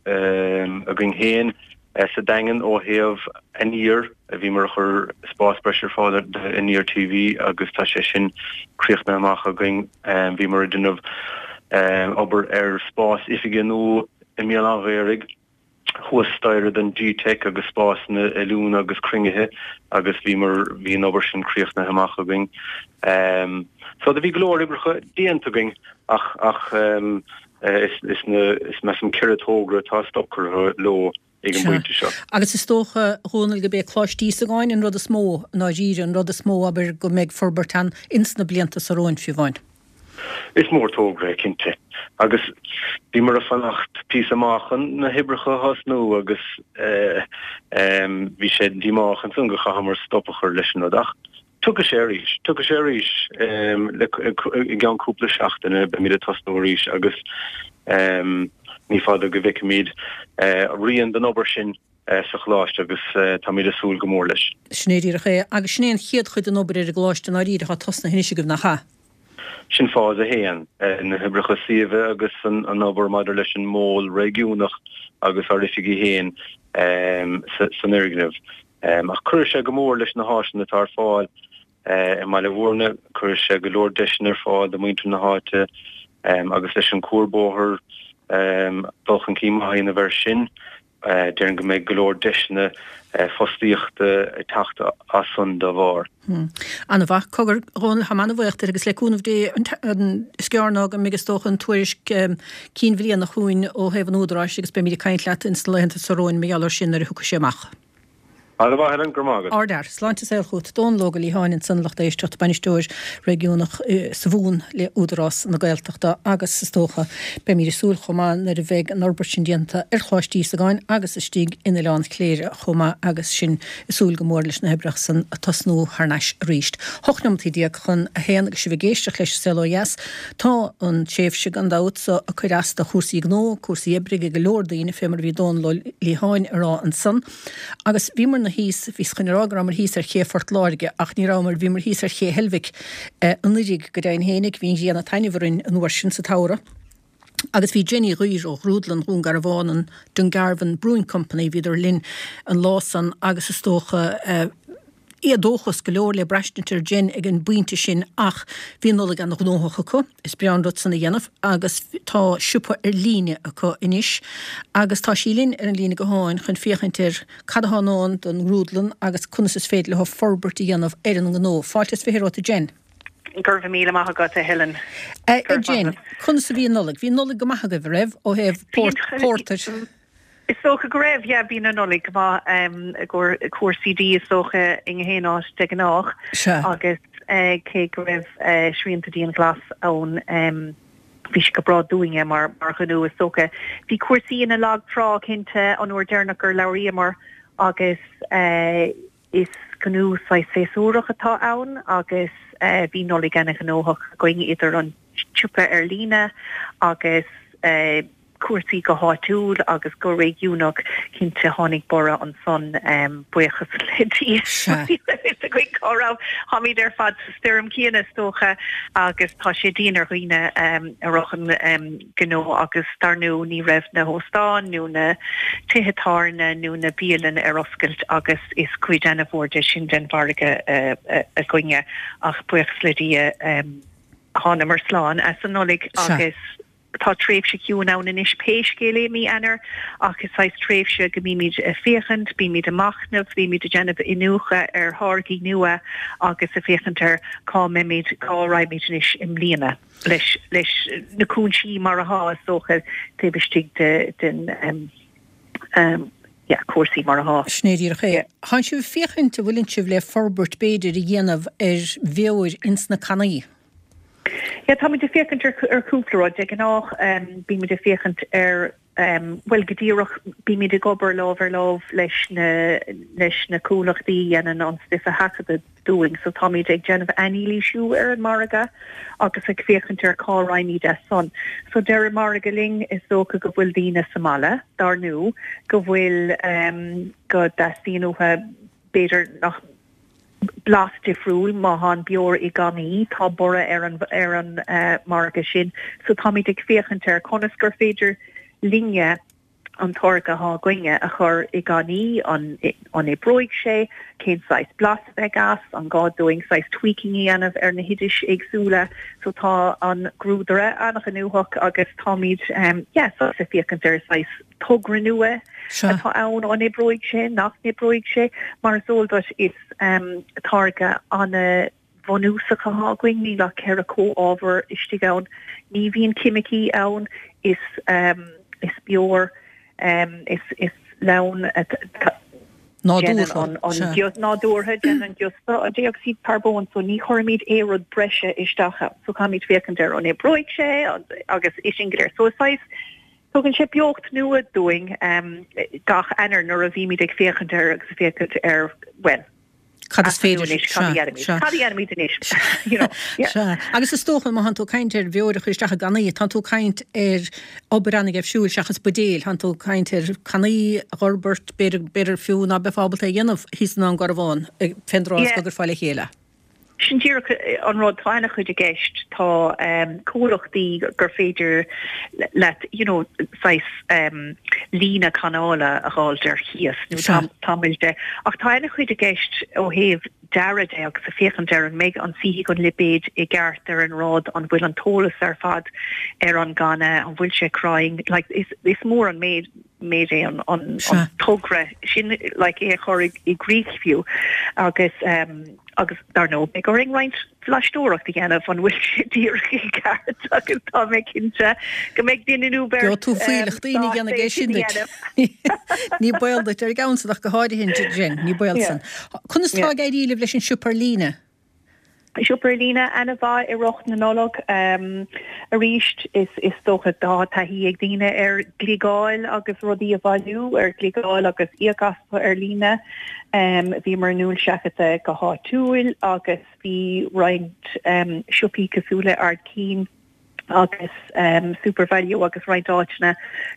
againn féin sa Daingean ó thaobh Aniar, bhíomar ag cur spás breise ar fáil d'Aniar TV agus tá sé sin críochnaithe amach againn. Bhíomar ag déanamh obair ar spás oifige nua i mBéal Átha an Ghaorthaidh, thuas staighre don G-Teic agus spásanna oiliúna agus cruinnithe agus bhíomar, bhí an obair sin críochnaithe amach againn. So do bhí go leor oibreacha déanta againn ach, ach, Is is measaim ceithre togra atá stop curtha leo ag an bpointe seo. Agus is dócha, a Dhónaill, gurb é Coláiste Íosagáin an rud is mó, i ndáiríre, an rud is mó, abair, go mbeidh forbairt ann ins na blianta so romhainn, fiú amháin. Is mór togra é, cinnte. Agus bhíomar ag fanacht píosa maith chun na hoibreacha a thosnú agus bhí sé díomách ansan go chaitheamar stop a chur leis an rud. Ach Tiocfaidh sé arís. Tiocfaidh sé arís i gceann cúpla seachtaine. Beimid ag tosnú arís agus ní fada go bhfeicfimid rian den obair sin sa choláiste agus táimid ag súil go mór leis. Sin é díreach é. Agus sin é an chéad chuid den obair ar an gcoláiste i ndáiríre atá tosnaithe anois agaibh, nach ea? Sin fás a haon, na hoibreacha suímhe agus an obair maidir leis an mol réigiúnach agus ár oifigí féin san fhoirgneamh. Ach cuirfidh sé go mór leis na háiseanna atá ar fáil i mBaile Bhúirne, cuirfidh sé go leor deiseanna ar fáil do mhuintir na háite agus leis an cuarbhóthar dul chun cinn maith a dhéanamh air sin, déarfainn go mbeidh go leor deiseanna fostaíochta ag teacht as san dá bharr. An-mhaith. Cogar, a Dhónaill, táim an-bhuíoch díot agus le cúnamh Dé, is gearr ná go mbeidh is dócha an tuairisc cinn bhliana chugainn ó thaobh an Údaráis agus beimid ag caint leat ins na laethanta so romhainn mar gheall air sin nuair a thiocfaidh sé amach. Ana-mhaith, Helen, go raibh maith agat. Ardfhear. Sláinte is saol chugat. Dónal Óg Ó Liatháin ansan, lucht éisteachta, Bainisteoir Réigiúnach sa Mhumhan le Údarás na Gaeltachta agus is dócha beimid ag súil chomh maith nuair a bheidh an fhorbairt sin déanta ar Choláiste Íosagáin agus istigh in Oileán Chléire chomh maith agus sinn ag súil go mór leis na hoibreacha san ag tosnú thar n-ais arís. Hocht neomataí déag chun a haon agus sibh ag éisteacht leis an Saol Ó Dheas. Tá an tréimhse gan dabht so ag cur as do chúrsaí gnó, cúrsaí oibre ag go leor daoine fé mar a bhí Dónal Ó Liatháin a rá ansan agus bhíomar thíos, bhíos chun a rá go rabhamar thíos ar ché Phort Láirge ach ní rabhamar, bhíomar thíos ar ché Heilbhic anuiridh go deimhin fhéinig, bhí an ghrian ag taitneamh orainn an uair sin sa tsamhradh. Agus bhí Jenny Ghaoir ó Ghrúdlann Dhún Garbhán, an Dungarvan Brewing Company, bhíodar linn an lá san agus is dócha éadóchas go leor le braistint ar Jen ag an bpointe sin ach bhí an Nollaig an-ghnóthach acu, is breá an rud san a dhéanamh agus tá siopa ar líne acu anois agus tá sí linn ar an líne gutháin chun féachaint ar cad atá i ndán don ngrúdlann agus conas is féidir leo forbairt a dhéanamh ar an ngnó. Fáilte is fiche romhat a Jen. Go raibh míle maith agat a Helen. A Jen, conas a bhí an Nollaig? Bhí an Nollaig go maith agaibh, a raibh, ó thaobh pórtair? Is dócha go raibh, yeah, bíonn an Nollaig go maith i gcomhair cúrsaí dí is dócha i ngach aon áit de ghnáth agus cé go raibh srianta dianghlas ann bhí sé go breá dúinne mar mar ghnó is dócha. Bhí cúrsaí ina lag trá cinnte an uair deireanach gur labhraíomar agus is gnó saghas séasúrach atá ann agus bhí Nollaig ana-ghnóthach againn idir an tsiopa ar líne agus cúrsaí go háitiúil agus go réigiúnach, cinnte tháinig borradh ansan, buíochas le Dia. Ní raibh fhios againn cá raibh, táimid ar fad sa stoirm chéanna is dócha agus tá sé dian ar dhaoine a ritheann gnó agus dar ndóigh ní raibh na hóstáin nó na tithe tábhairne nó na bialanna ar oscailt agus is cuid ana-mhór de sin den mhargadh againne ach buíochas le Dia thánamar slán as an Nollaig agus Tá tréimhse chiúin ann anois pé scéal é mí Eanáir ach is saghas tréimhse go mbímid ag féachaint, bímid ag machnamh, bímid ag déanamh iniúchadh ar tháirgí nua agus ag féachaint ar cá mbeimid, cá raghaimid anois i mbliana leis leis na cúinsí mar atá is dócha taobh istigh de den yeah cúrsaí mar atá. Sin é díreach é. Tánn sibh ag féachaint an bhfuileann sibh le forbairt b'fhéidir a dhéanamh ar bheoir ins na cannaí? Yeah, táimid ag féachaint ar chúpla rud. De ghnáth bímid ag féachaint ar, bhuel, go díreach bímid ag obair lámh ar lámh leis na leis na comhlachtaí a dhéanann an stuif a sheachadadh dúinn. So táimid ag déanamh anailísiú ar an margadh agus ag féachaint ar cá raghaimid as san. So deir an margadh linn is dócha go bhfuil daoine sa mbaile, dar ndóigh, go bhfuil go dteastaíonn uathu b'fhéidir nach blas difriúil má tá an beoir i gcannaí, tá borradh ar an ar an margadh sin. So táimid ag féachaint ar conas gur féidir linne an táirge atá againne a chur i gcannaí, an an oibreoidh sé, cén saghas blas a bheidh as, an gá dúinn saghas tweaking a dhéanamh ar na hoidis éagsúla. So tá an grúdaire an-ghnóthach agus táimid yeah saghas ag féachaint ar saghas togra nua atá ann, an oibreoidh sé, nach n-oibreoidh sé. Mar is eol duit, is táirge an-bhunúsach atá againn, níl ach ceithre comhábhar istigh ann, ní bhíonn ceimicí ann, is is beoir, is lann nádúrtha, déanann an giosta an dé-ocsaíd charbóin, so ní chuirimid aon rud breise isteach ann. So caithfimid féachaint ar an oibreoidh sé agus é sin go léir. So is saghas Tugann sé beocht nua dúinn gach Eanáir nuair a bhímid ag féachaint air agus ag féachaint ar, bhuel, Cad is féidir, anois, cad a dhéanfaimid? Cad a dhéanfaimid anois? You know, yeah. Sea. Agus is dócha, má thánn tú ag caint ar bheoir a chur isteach i gcannaí, tánn tú ag caint ar obair an-gheimhsiúil seachas buidéil, tánn tú ag caint ar cannaí a dh'fhorbairt, b'fhéidir, b'fhéidir fiú ná beifeá ábalta é a dhéanamh thíos i nDún Garbhán, fén dtráth is go gcuirfeá le chéile. Sin díreach an rud, tá ana-chuid i gceist, tá comhlachtaí gur féidir leat you know saghas líne cannála a dh'fháilt ar chíos nó tamall de, ach tá ana-chuid i gceist ó thaobh dearadh de agus ag féachaint ar an mbeidh an suífidh an lipéad i gceart ar an rud, an bhfuil an t-eolas ar fad ar an gcanna, an bhfuil sé cruinn, like is is mór an méid méid é an an togra sin like é a chur i gcrích fiú agus Agus dar ndóigh beidh orainn roinnt blaisteoireacht a dhéanamh an bhfuil sé díreach i gceart agus tá mé cinnte go mbeidh duine nó beirt Gheobhaidh tú fuílleach daoine ag déanamh é sin duit. Ní baol duit ar an gceann san ach go háirithe Jen, ní baol san. Conas tá ag éirí libh leis an siopa ar líne? Siopa ar líne an-mhaith i rith na Nollag. Arís is is dócha tá taithí ag daoine ar gliogáil agus rudaí a bhailiú ar gliogáil agus íoc astu ar líne. Bhíomar in ann seachadadh go háitiúil agus bhí roinnt siopaí cosúil le Ard Cinn agus SuperValu agus roinnt áiteanna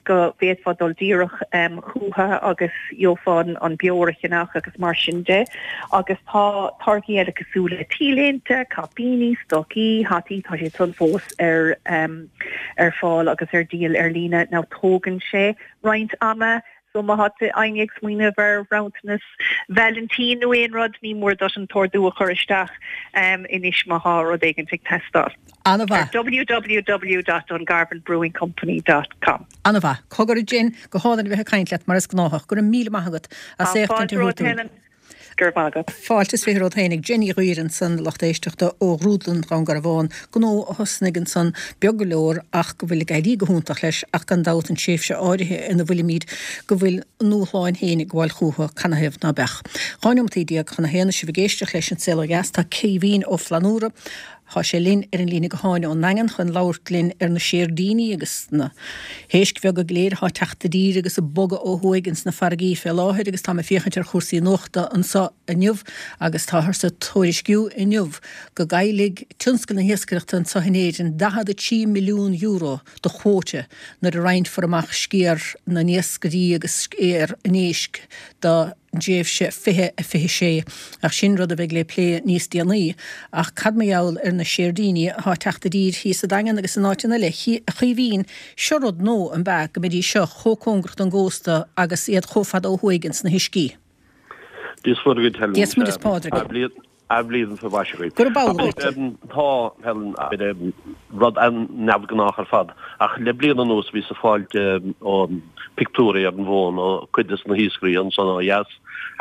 go bhféadfá dul díreach chucu agus gheofá an beoir a cheannach agus mar sin de. Agus tá táirgí eile cosúil le T-léinte, caipíní, stocaí, hataí, tá siad san fós ar ar fáil agus ar díol ar líne. Now tógann sé roinnt ama so má tá éinne ag smaoineamh ar bhronntanas Vailintín nó aon rud, ní mór duit an t-ordú a chur isteach anois má thá rud éigin ag teastáil. An-mhaith. Ar www dot dungarvan brewing company dot com. An-mhaith. Cogar a Jen, go hálainn a bheith ag caint leat mar is gnáthach. Go raibh míle maith agat as éachtaint a thabhairt dúinn. Go raibh maith agat. Fáilte is fiche romhat fhéinig. Jen Ní Ghuaire ansan, lucht éisteachta ó Ghrúdlann Dhún Garbhán, gnó a thosnaigh ansan beag go leor ach go bhfuil ag éirí go hiontach leis ach gan dabht an tréimhse áirithe ina bhfuilimid go bhfuil a ndúshláin féin ag gabháil chúthu canathaobh ná beadh. Dhá neomataí déag chun a haon is sibh ag éisteacht leis An Saol Ó Dheas tá Caoimhín Ó Flannúra, Tá sé linn ar an líne gutháin ón nDaingean chun labhairt linn ar na séirdíní agus na héisc bheaga go léir atá ag teacht i dtír agus ag bogadh ó thuaidh ins na farraigí fé láthair agus táim ag féachaint ar chúrsaí nuachta anso inniu agus táthar ag tuairisciú inniu go gcaillfidh tionscal na hiascaireachta anso in Éirinn daichead a trí milliún euro de chuóta nuair a roinnfear amach sciar na n-iascairí agus sciar an éisc do dtréimhse fiche a fiche sé, ach sin rud a bheidh le plé níos déanaí. Ach cad mar gheall ar na séirdíní atá ag teacht i dtír thíos sa Daingean agus in áiteanna eile? A Chaoimhín, seo rud nua, an b'ea, go mbeidís seo chomh cóngarach don gcósta agus iad chomh fada ó thuaidh ins na huiscí? Dia is Muire duit, Helen. Dia is Muire is Pádraig. Athbhliain faoi mhaise dhuit. Gurab amhlaidh dhuit. Tá, Helen, rud an-neamhghnách ar fad, ach le bliain anuas bhíos ag fáilt pictiúirí ar an bhfón ó cuid des na hiascairí ansan ó dheas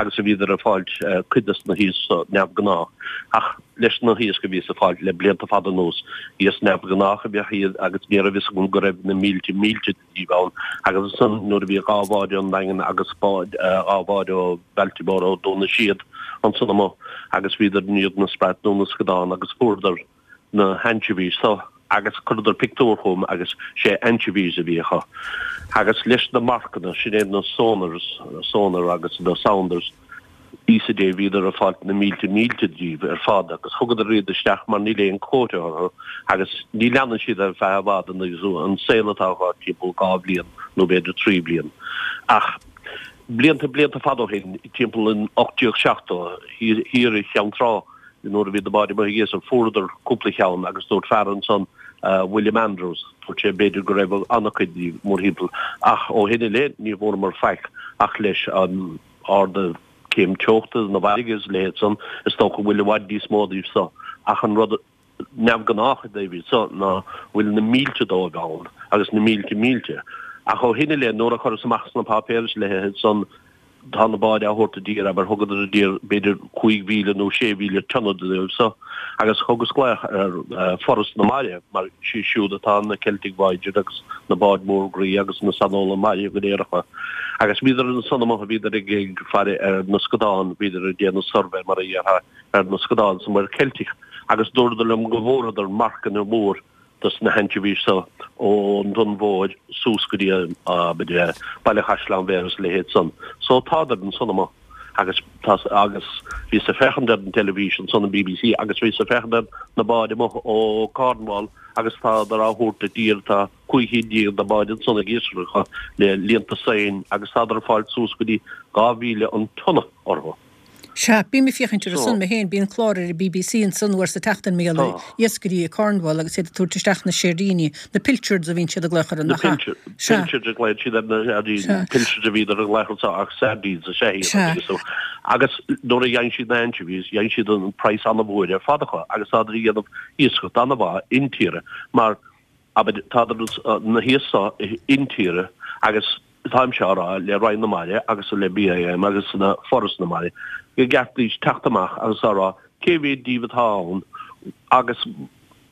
agus bhíodar ag fáilt cuid des na hiasc so neamhghnách. Ach leis na hiasc a bhíos ag fáilt le blianta fada anuas, iasc neamhghnách a bheadh iad agus ní raibh fhios agam go raibh na mílte mílte díobh ann agus ansan nuair a bhí dhá bhád ón nDaingean agus bád dhá bhád ó bhailte móra ó Dún na Séad ansan amuigh agus bhíodar i ndiaidh na sprat nó na scadán agus fuaireadar na hanchovies so agus chuireadar pictiúr chugam agus sé anchovies a bhí acu agus leis na marcanna sin é na sonars sonar agus na sounders Íosa Dé, bhíodar ag fáilt na mílte mílte díobh ar fad agus thugadar iad isteach mar níl aon quota orthu agus ní leanann siad ar feadh i bhfad an saol atá acu timpeall dhá bhliain nó b'fhéidir trí bliain. Ach blianta blianta fada ó shin, timpeall in ocht déag seachtó, thiar i Cheann Trá nuair a bhí na báid amuigh ag iascach fuaireadar cúpla cheann agus dúirt fear ansan, William Andrews, dúirt sé b'fhéidir go raibh an-chuid díobh mórthimpeall ach ó shin i leith ní bhfuaireamar faic ach leis an ardú céim teochta na bhfarraige is a leithéid san, is dócha go bhfuil i bhfad níos mó díobh so. Ach an rud neamhghnách i dtaobh iad so ná bhfuil na mílte dóibh ann, agus na mílte mílte. Ach ó shin i leith, nuair a chuireas amach sna páipéir is a leithéid san, tá na báid á thabhairt i dtír, abair, thugadar i dtír b'fhéidir cúig mhíle nó sé mhíle tonna díobh so. Agus thugas glaoch ar Foras na Mara, mar is iad siúd atá na Celtic Voyager agus na báid mór groí agus na saineolaithe mara go léir acu. Agus bhíodar ansan amuigh, bhíodar ag faire ar na scadáin, bhíodar ag déanamh suirbhé mar a dhéarfá ar na scadáin sa Mhuir Cheilteach agus dúradar liom go bhfuaireadar marcanna mór dos na hanchovies so ón Dún Mhóir suas go dtí abair Baile Chaisleáin Bhéarra is a leithéid san. So tádar ansan amuigh agus tá agus bhíos ag féachaint ar an teilifís ansan an BBC agus bhíos ag féachaint ar na báid amuigh ó Cornwall agus tádar á thabhairt i dtír tá cúig chéad déag de bháid ansan ag iascaireacht le líonta soin agus tádar ag fáilt suas go dtí dhá mhíle an tonna orthu. Sea, bím ag féachaint orthu san mé féin, bíonn clár ar an BBC ansan uair sa tseachtain mar gheall ar iascairí i Cornwall agus iad ag tabhairt isteach na séirdíní, na pilchards a bhíonn siad ag glaoch orthu, nach ea? Na pilchards a ghlaonn siad ar na sairdíní, pilchards a bhíodar ag glaoch anso ach sardines is ea iad agus agus nuair a gheibheann siad na anchovies, gheibheann siad an praghas an-mhór ar fad acu agus tádar ag déanamh iascaireacht an-mhaith intíre mar abair tádar na hiasc so intíre agus Táimse á rá le Roinn na Mara agus le BIM agus le Foras na Mara go gceart daoibh teacht amach agus á rá cé mhéad díobh atá ann agus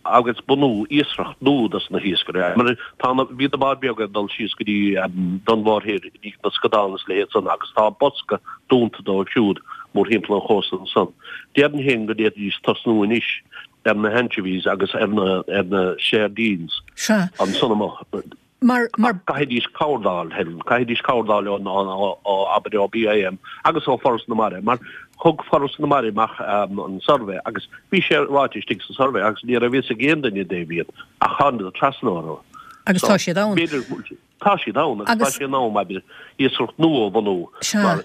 agus bunú iascaireacht nua dos na hiascairí. Mar tá na, bhí na báid beaga ag dul síos go dtí Dún Mór Thoir i ndiaidh na scadán is a leithéid san agus tá bosca dúnta dóibh siúd mórthimpeall an chósta ansan. Déarfainn féin go bhféadfaidís tosnú anois ar na anchovies agus ar na, ar na sardines Sea. ansan amuigh. Mar, mar. Caithfidís cabhair d'fháil, Helen, caithfidís cabhair d'fháil ón, ó, ó, abair, ó BIM agus ó Foras na Mara, mar thug Foras na Mara amach an suirbhé agus bhí sé ráite istigh sa suirbhé agus ní raibh fhios ag aon duine i dtaobh iad ach thánadar trasna orthu. Agus tá siad ann. B'fhéidir, tá siad ann agus tá sé in am, abair, iascaireacht nua a bhunú. Sea. Mar,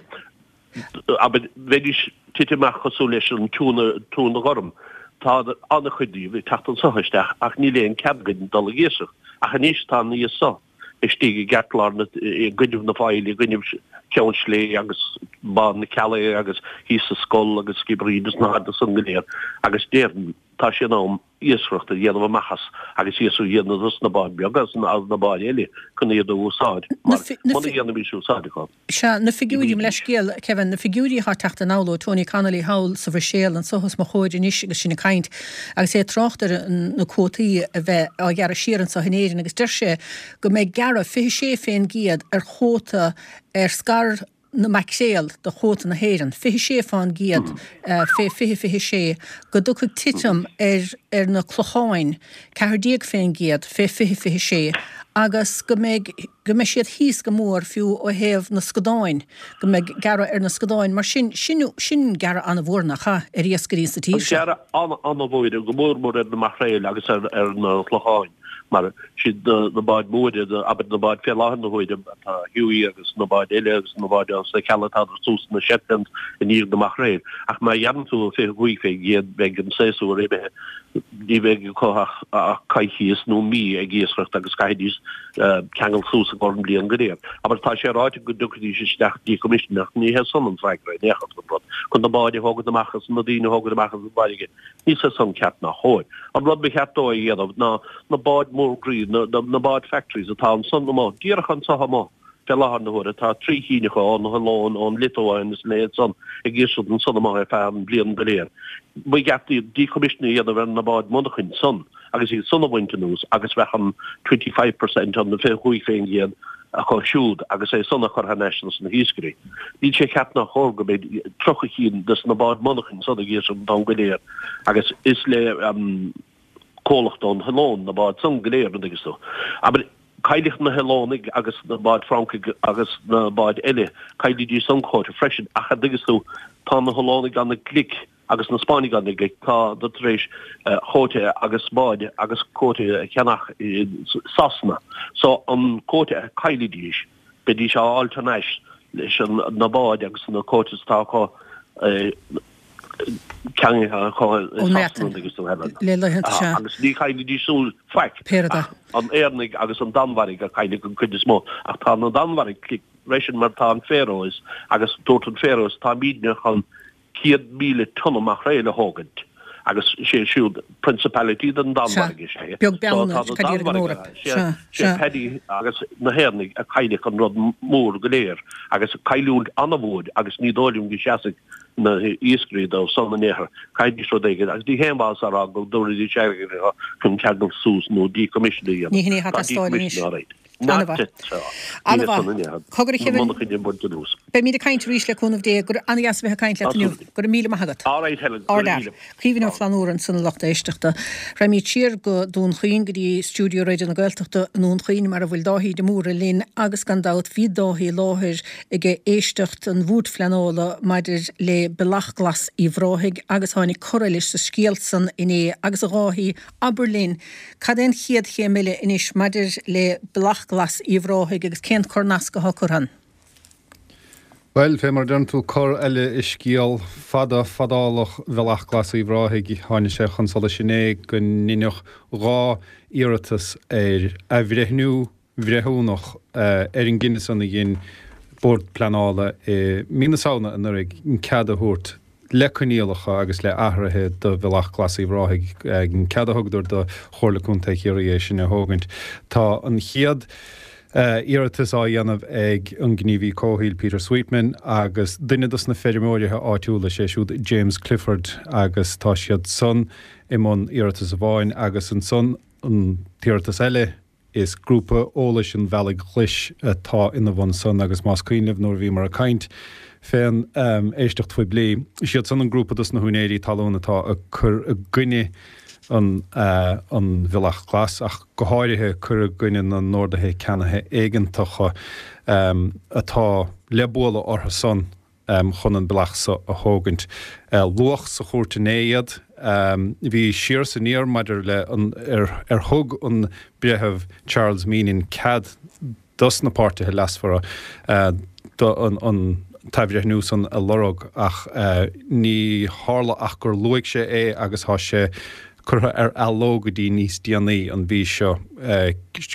abair, bheidís tite amach cosúil leis an tiúna, túna ghorm. Tá an-chuid díobh ag teacht anso isteach ach níl aon cead againn dul ag iascach. Ach anois tá an iasc so istigh i gceartlár na, i gcoinnibh na Faille, i gcoinnibh Cheann Sléibhe agus Bá na Ceallaighe agus thíos sa Scol agus Skibbereen agus na háiteanna san go léir agus déarfainn tá sé in am iascaireacht a dhéanamh amach as agus iascaireacht a dhéanamh dos na báid beaga agus na báid eile chun iad a úsáid mar muna ndéanfaimis úsáid acu. Sea, na figiúirí, mo leithscéal, Kevin, na figiúirí atá ag teacht anall ó Tony Connolly thall sa Bhruiséil anso os mo chomhair anois agus sinn ag caint agus é ag trácht ar na cuótaí a bheith á ghearradh siar anso in Éirinn agus deir sé go mbeidh gearradh fiche sé fén gcéad ar chuóta ar scair na maicréal de chuóta na hÉireann, fiche sé fán gcéad fé fiche fiche sé, go dtiocfaidh titim ar ar na clocháin, ceathair déag fén gcéad fé fiche fiche sé, agus go mbeidh go mbeidh siad thíos go mór fiú ó thaobh na scadáin, go mbeidh gearradh ar na scadáin. Mar sin, sin sin gearradh an-mhór, nach ea, ar iascairí sa tír seo. Gearradh an-an-mhór, go mór mór ar na maicréil agus ar ar na clocháin, mar siad na na báid mhóra, abair na báid fé láthair na huaire, atá Hughie agus na báid eile agus na báid sna Cealla tádar suas sna Shetlands i ndiaidh na maicréil. Ach má ghearrann tú fiche cúig fé gcéad beidh an séasúr imithe. Ní bheidh acu ach coicíos nó mí ag iascaireacht agus caithfidís ceangal suas i gcomhair an bhliain go léir. Abair, tá sé ráite go dtiocfaidís isteach decommissioning ach ní hé san an freagra in aon chor don rud. Chun na báid a thógaint amach agus na daoine a thógaint amach as an bhfarraige, ní hé san ceart ná chóir. An rud ba cheart dó a dhéanamh ná na báid mór groí, na báid factories atá ansan amuigh, díreach anso amuigh, Fé láthair na huaire tá trí chinn acu ón Ollóin, ón Liotuáin is a leithéid san ag iascaireacht ansan amuigh ar feadh an bhliain go léir. Ba cheart iad decommissioning a dhéanamh ar na báid monarchain san agus iad san a bhaint anuas agus bheadh an twenty five per cent, an fiche cúig fén gcéad acu siúd agus é san a chur thar n-ais dos na hiascairí. Níl sé ceart ná chóir go mbeidh tríocha chinn des na báid monarchain san ag iascaireacht an t-am go léir agus is le comhlacht ón Ollóin na báid san go léir, an dtuigeann tú. Abair. Caillfidh na hOllannaigh agus na báid Francaigh agus na báid eile, caillfidís an quota freisin, ach an dtuigeann tú, tá na hOllannaigh ana-ghlic agus na Spáinnigh ana-ghlic, tá siad tar éis quota agus báid agus quota a cheannach i Sasana. So an quota a chaillfidís, beidís á fháil thar n-ais leis na báid agus na quotas atá acu ceannaithe acu i Sasana, an dtuigeann tú, Helen. Le laethanta, sea. Agus ní chaillfidís súil faic ach an Éireannaigh agus an Danmhairg a chaillfidh an cuid is mó. Ach tá na Danmhairg glic freisin mar tá an Faroes agus dúirt an Faroes táimidne chun céad míle tonna maicréil a thógaint agus sé siúd Principality den Danmhairg is ea. Beag beann ar cad iad an Eoraip. Sea, sé Paddy agus na hÉireannaigh a chaillfidh an rud mór go léir agus cailliúint an-mhór agus ní dóigh liom go seasfaidh na hiascairí dóibh san in aon chor. Caithfidís rud éigin agus ní haon mhaitheas a rá go dtabharfaidís airgead chun ceangal suas nó decommission a dhéanamh. Ní hin é atá Tá ag teastáil anois. decommission alright. An-mhaith. An-mhaith. Cogar a Kevin. Beimid ag caint arís le cúnamh Dé. Go an-dheas a bheith ag caint leat inniu. Go raibh míle maith agat. Ardfhear. Caoimhín Ó Flannúra ansan a lucht éisteachta. Raghaimid siar go Dún Chaoin, go dtí stiúideo Raidió na Gaeltachta i nDún Chaoin mar a bhfuil Dáithí de Mórdha linn agus gan dabht bhí Dáithí i láthair ag éisteacht an Bhoird Phleanála maidir le Bealach Glas Uíbh Ráthaigh agus tháinig cor eile sa scéal san inné agus a Dháithí abair linn cad é an chéad chéim eile anois maidir le Bealach Glas Uíbh Ráthaigh agus cén corr-nasc atá curtha ann? Bhuel, fé mar a deireann tú, cor eile i scéal fada fadálach Bhealach Glas Uíbh Ráthaigh. Tháinig sé chun solais inné go ndeineadh dhá iarratas ar athbhreithniú bhreithiúnach ar an gcinneadh san a dhein Bord Pleanála i mí na Samhna anuraidh an cead a thabhairt le coinníollacha agus le athruithe do Bhealach Glas Uíbh Ráthaigh, an cead a thugadar do Chomhairle Contae Chiarraí é sin a thógaint. Tá an chéad Iarratas á dhéanamh ag an gníomhaí comhshaoil Peter Sweetman agus duine dos na feirmeoirithe áitiúla, sé siúd James Clifford agus tá siad san i mbun iarratas amháin agus ansan an t-iarratas eile is grúpa eolais an Bhealaigh Ghlais atá ina bhun san agus más cuimhin libh nuair a bhíomar ag caint fén éisteacht phoiblí, is iad san an grúpa dos na húinéirí talún atá ag cur i gcoinne an an Bhealach Glas, ach go háirithe cur i gcoinne na n-orduithe ceannaithe éigeantacha atá le bualadh orthu san chun an bealach so a thógaint. Luadh sa chúirt inné iad. Bhí siar is aniar maidir le an ar thug an Breitheamh Charles Meenan cead dos na páirtithe leasmhara an t-athbhreithniú san a lorg ach ní tharla ach gur luaigh sé é agus tá sé curtha ar athló go dtí níos déanaí an mhí seo,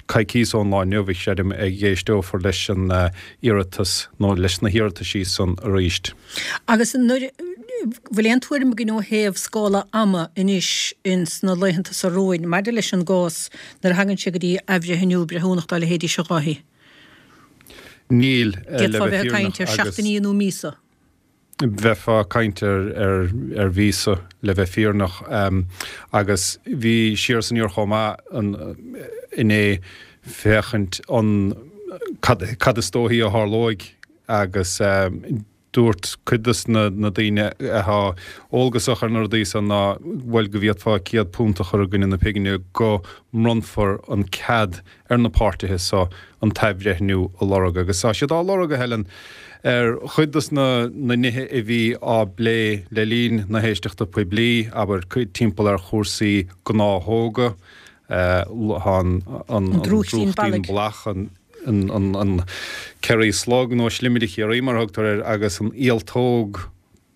coicíos ón lá inniu, creidim, a éisteofar leis an iarratas nó leis na hiarrataisí san arís. Agus nuair, bhfuil aon tuairim againn ó thaobh scála ama anois ins na laethanta seo romhainn maidir leis an gcás nuair a thagann sé go dtí athbhreithniú breithiúnach dá leithéidí seo, a Dháithí? Níl, le D'fhéadfá bheith bheith ag fírinneach caint ar agus. seachtainí nó míosa. Bheifeá ag caint ar ar mhíosa, le bheith fírinneach. Agus bhí siar is aniar chomh maith inné féachaint an cad cad is dóichí a tharlóidh agus dúirt cuid des na daoine atá eolgasach ar na rudaí san ná bhuel go bhféadfá céad punt a chur i gcoinne na pighne go mbronnfar an cead ar na páirtithe so an t-athbhreithniú a lorg. Agus tá siad á lorg, a Helen, ar chuid des na nithe a bhí á bplé le linn na héisteachta poiblí, abair, timpeall ar chúrsaí gnáthóga, tá an drúchtín drúchtín bealaigh. ballach, an Kerry slug nó slimide Chiarraí mar a thugtar air, agus an ialtóg,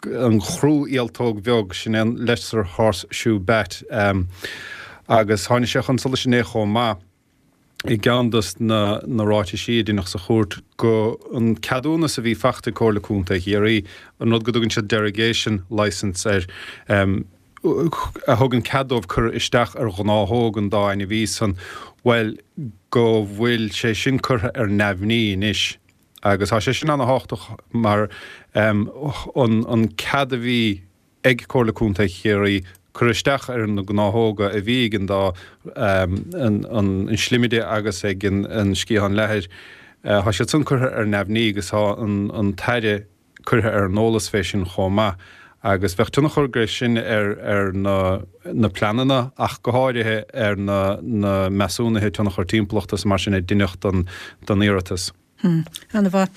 an chrú-ialtóg bheag, sin é an lesser horseshoe bat. Agus tháinig sé chun solais inné chomh maith, i gceann dos na ráitisí a deineadh sa chúirt, go an ceadúnas a bhí fachta ag Comhairle Contae Chiarraí, an rud go dtugann siad derogation licence air, a thugann cead dóibh cur isteach ar ghnáthóg an dá ainmhí san, bhuel, go bhfuil sé sin curtha ar neamhní anois. Agus tá sé sin ana-thábhachtach mar an cead a bhí ag Comhairle Contae Chiarraí cur isteach ar na gnáthóga a bhí ag an dá, an slimide agus ag an sciathán leathair, tá siad san curtha ar neamhní agus tá an tAire curtha ar an eolas fé sin chomh maith agus bheadh tionchar aige sin ar ar na na pleananna ach go háirithe ar na na measúnuithe tionchar timpeallachta is mar sin a deineadh don don iarratas. Hm. Ana-mhaith.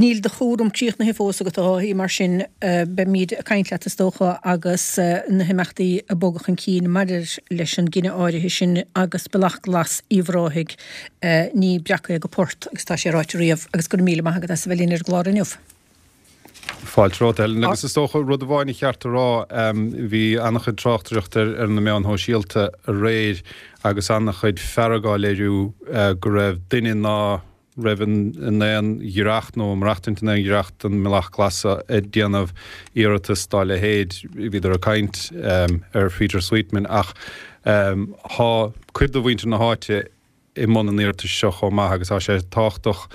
Níl do chúram críochnaithe fós agat a Dháithí, mar sin beimid ag caint leat is dócha agus na himeachtaí ag bogadh chun cinn maidir leis an gcinneadh áirithe sin agus Bealach Glas Uíbh Ráthaigh, ní breac é go port agus tá sé ráite riamh agus go raibh míle maith agat as a bheith linn ar an gclár inniu. Fáilte romhat, Helen. Agus is dócha, rud amháin a cheart a rá, bhí an-chuid tráchtaireachta ar na meáin shóisialta aréir agus an-chuid fearg á léiriú go raibh duine ná raibh in aon ghiorracht nó ag maireachtaint in aon ghiorracht don mBealach Glas ag déanamh iarratas dá leithéid. Bhíodar ag caint ar Peter Sweetman ach tá cuid de mhuintir na háite i mbun an iarratais seo chomh maith agus tá sé tábhachtach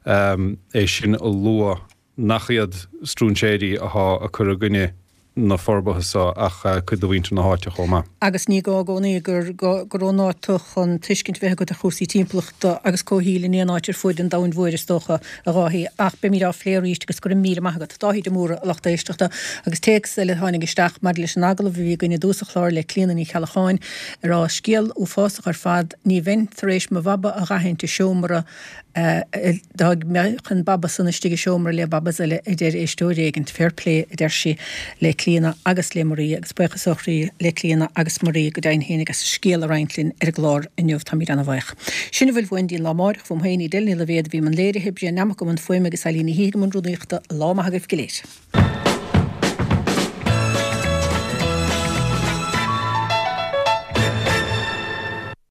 é sin a lua nach iad stróinséirí athá ag cur i gcoinne na forbartha so ach cuid de mhuintir na háite chomh maith. Agus ní gá i gcónaí gur gur ón áit tú chun tuiscint a bheith agat ar chúrsaí timpeallachta agus comhshaoil in aon áit ar fuaid an domhain mhóir is dócha, a Dháithí. Ach beimid á phlé arís agus go raibh míle maith agat. Dáithí de Mórdha, a lucht éisteachta. Agus téacs eile a tháinig isteach maidir leis an agallamh a bhí againn i dtús an chláir le Clíona Ní Cheallacháin ag rá, Scéal uafásach ar fad, ní bheinn tar éis mo bhaba a dh'aithint i seomra Dá mbeadh an baba san istigh i seomra le babas eile, a deir éisteoir éigint. Fair play, a deir sí le Clíona agus le Marie, agus buíochas ó chroí le Clíona agus Marie go deimhin fhéinig as a scéal a roinnt linn ar an gclár inniu. Táimid ana-bhuíoch. Sin a bhfuil uainn go dtí an lá amáireach. Uaim féin, Edel Ní Loibhéad a bhí i mbun léirithe, Brian Nammock i mbun fuaime agus Eileen Ní Shíthigh i mbun rúnaíochta. Lá maith agaibh go léir.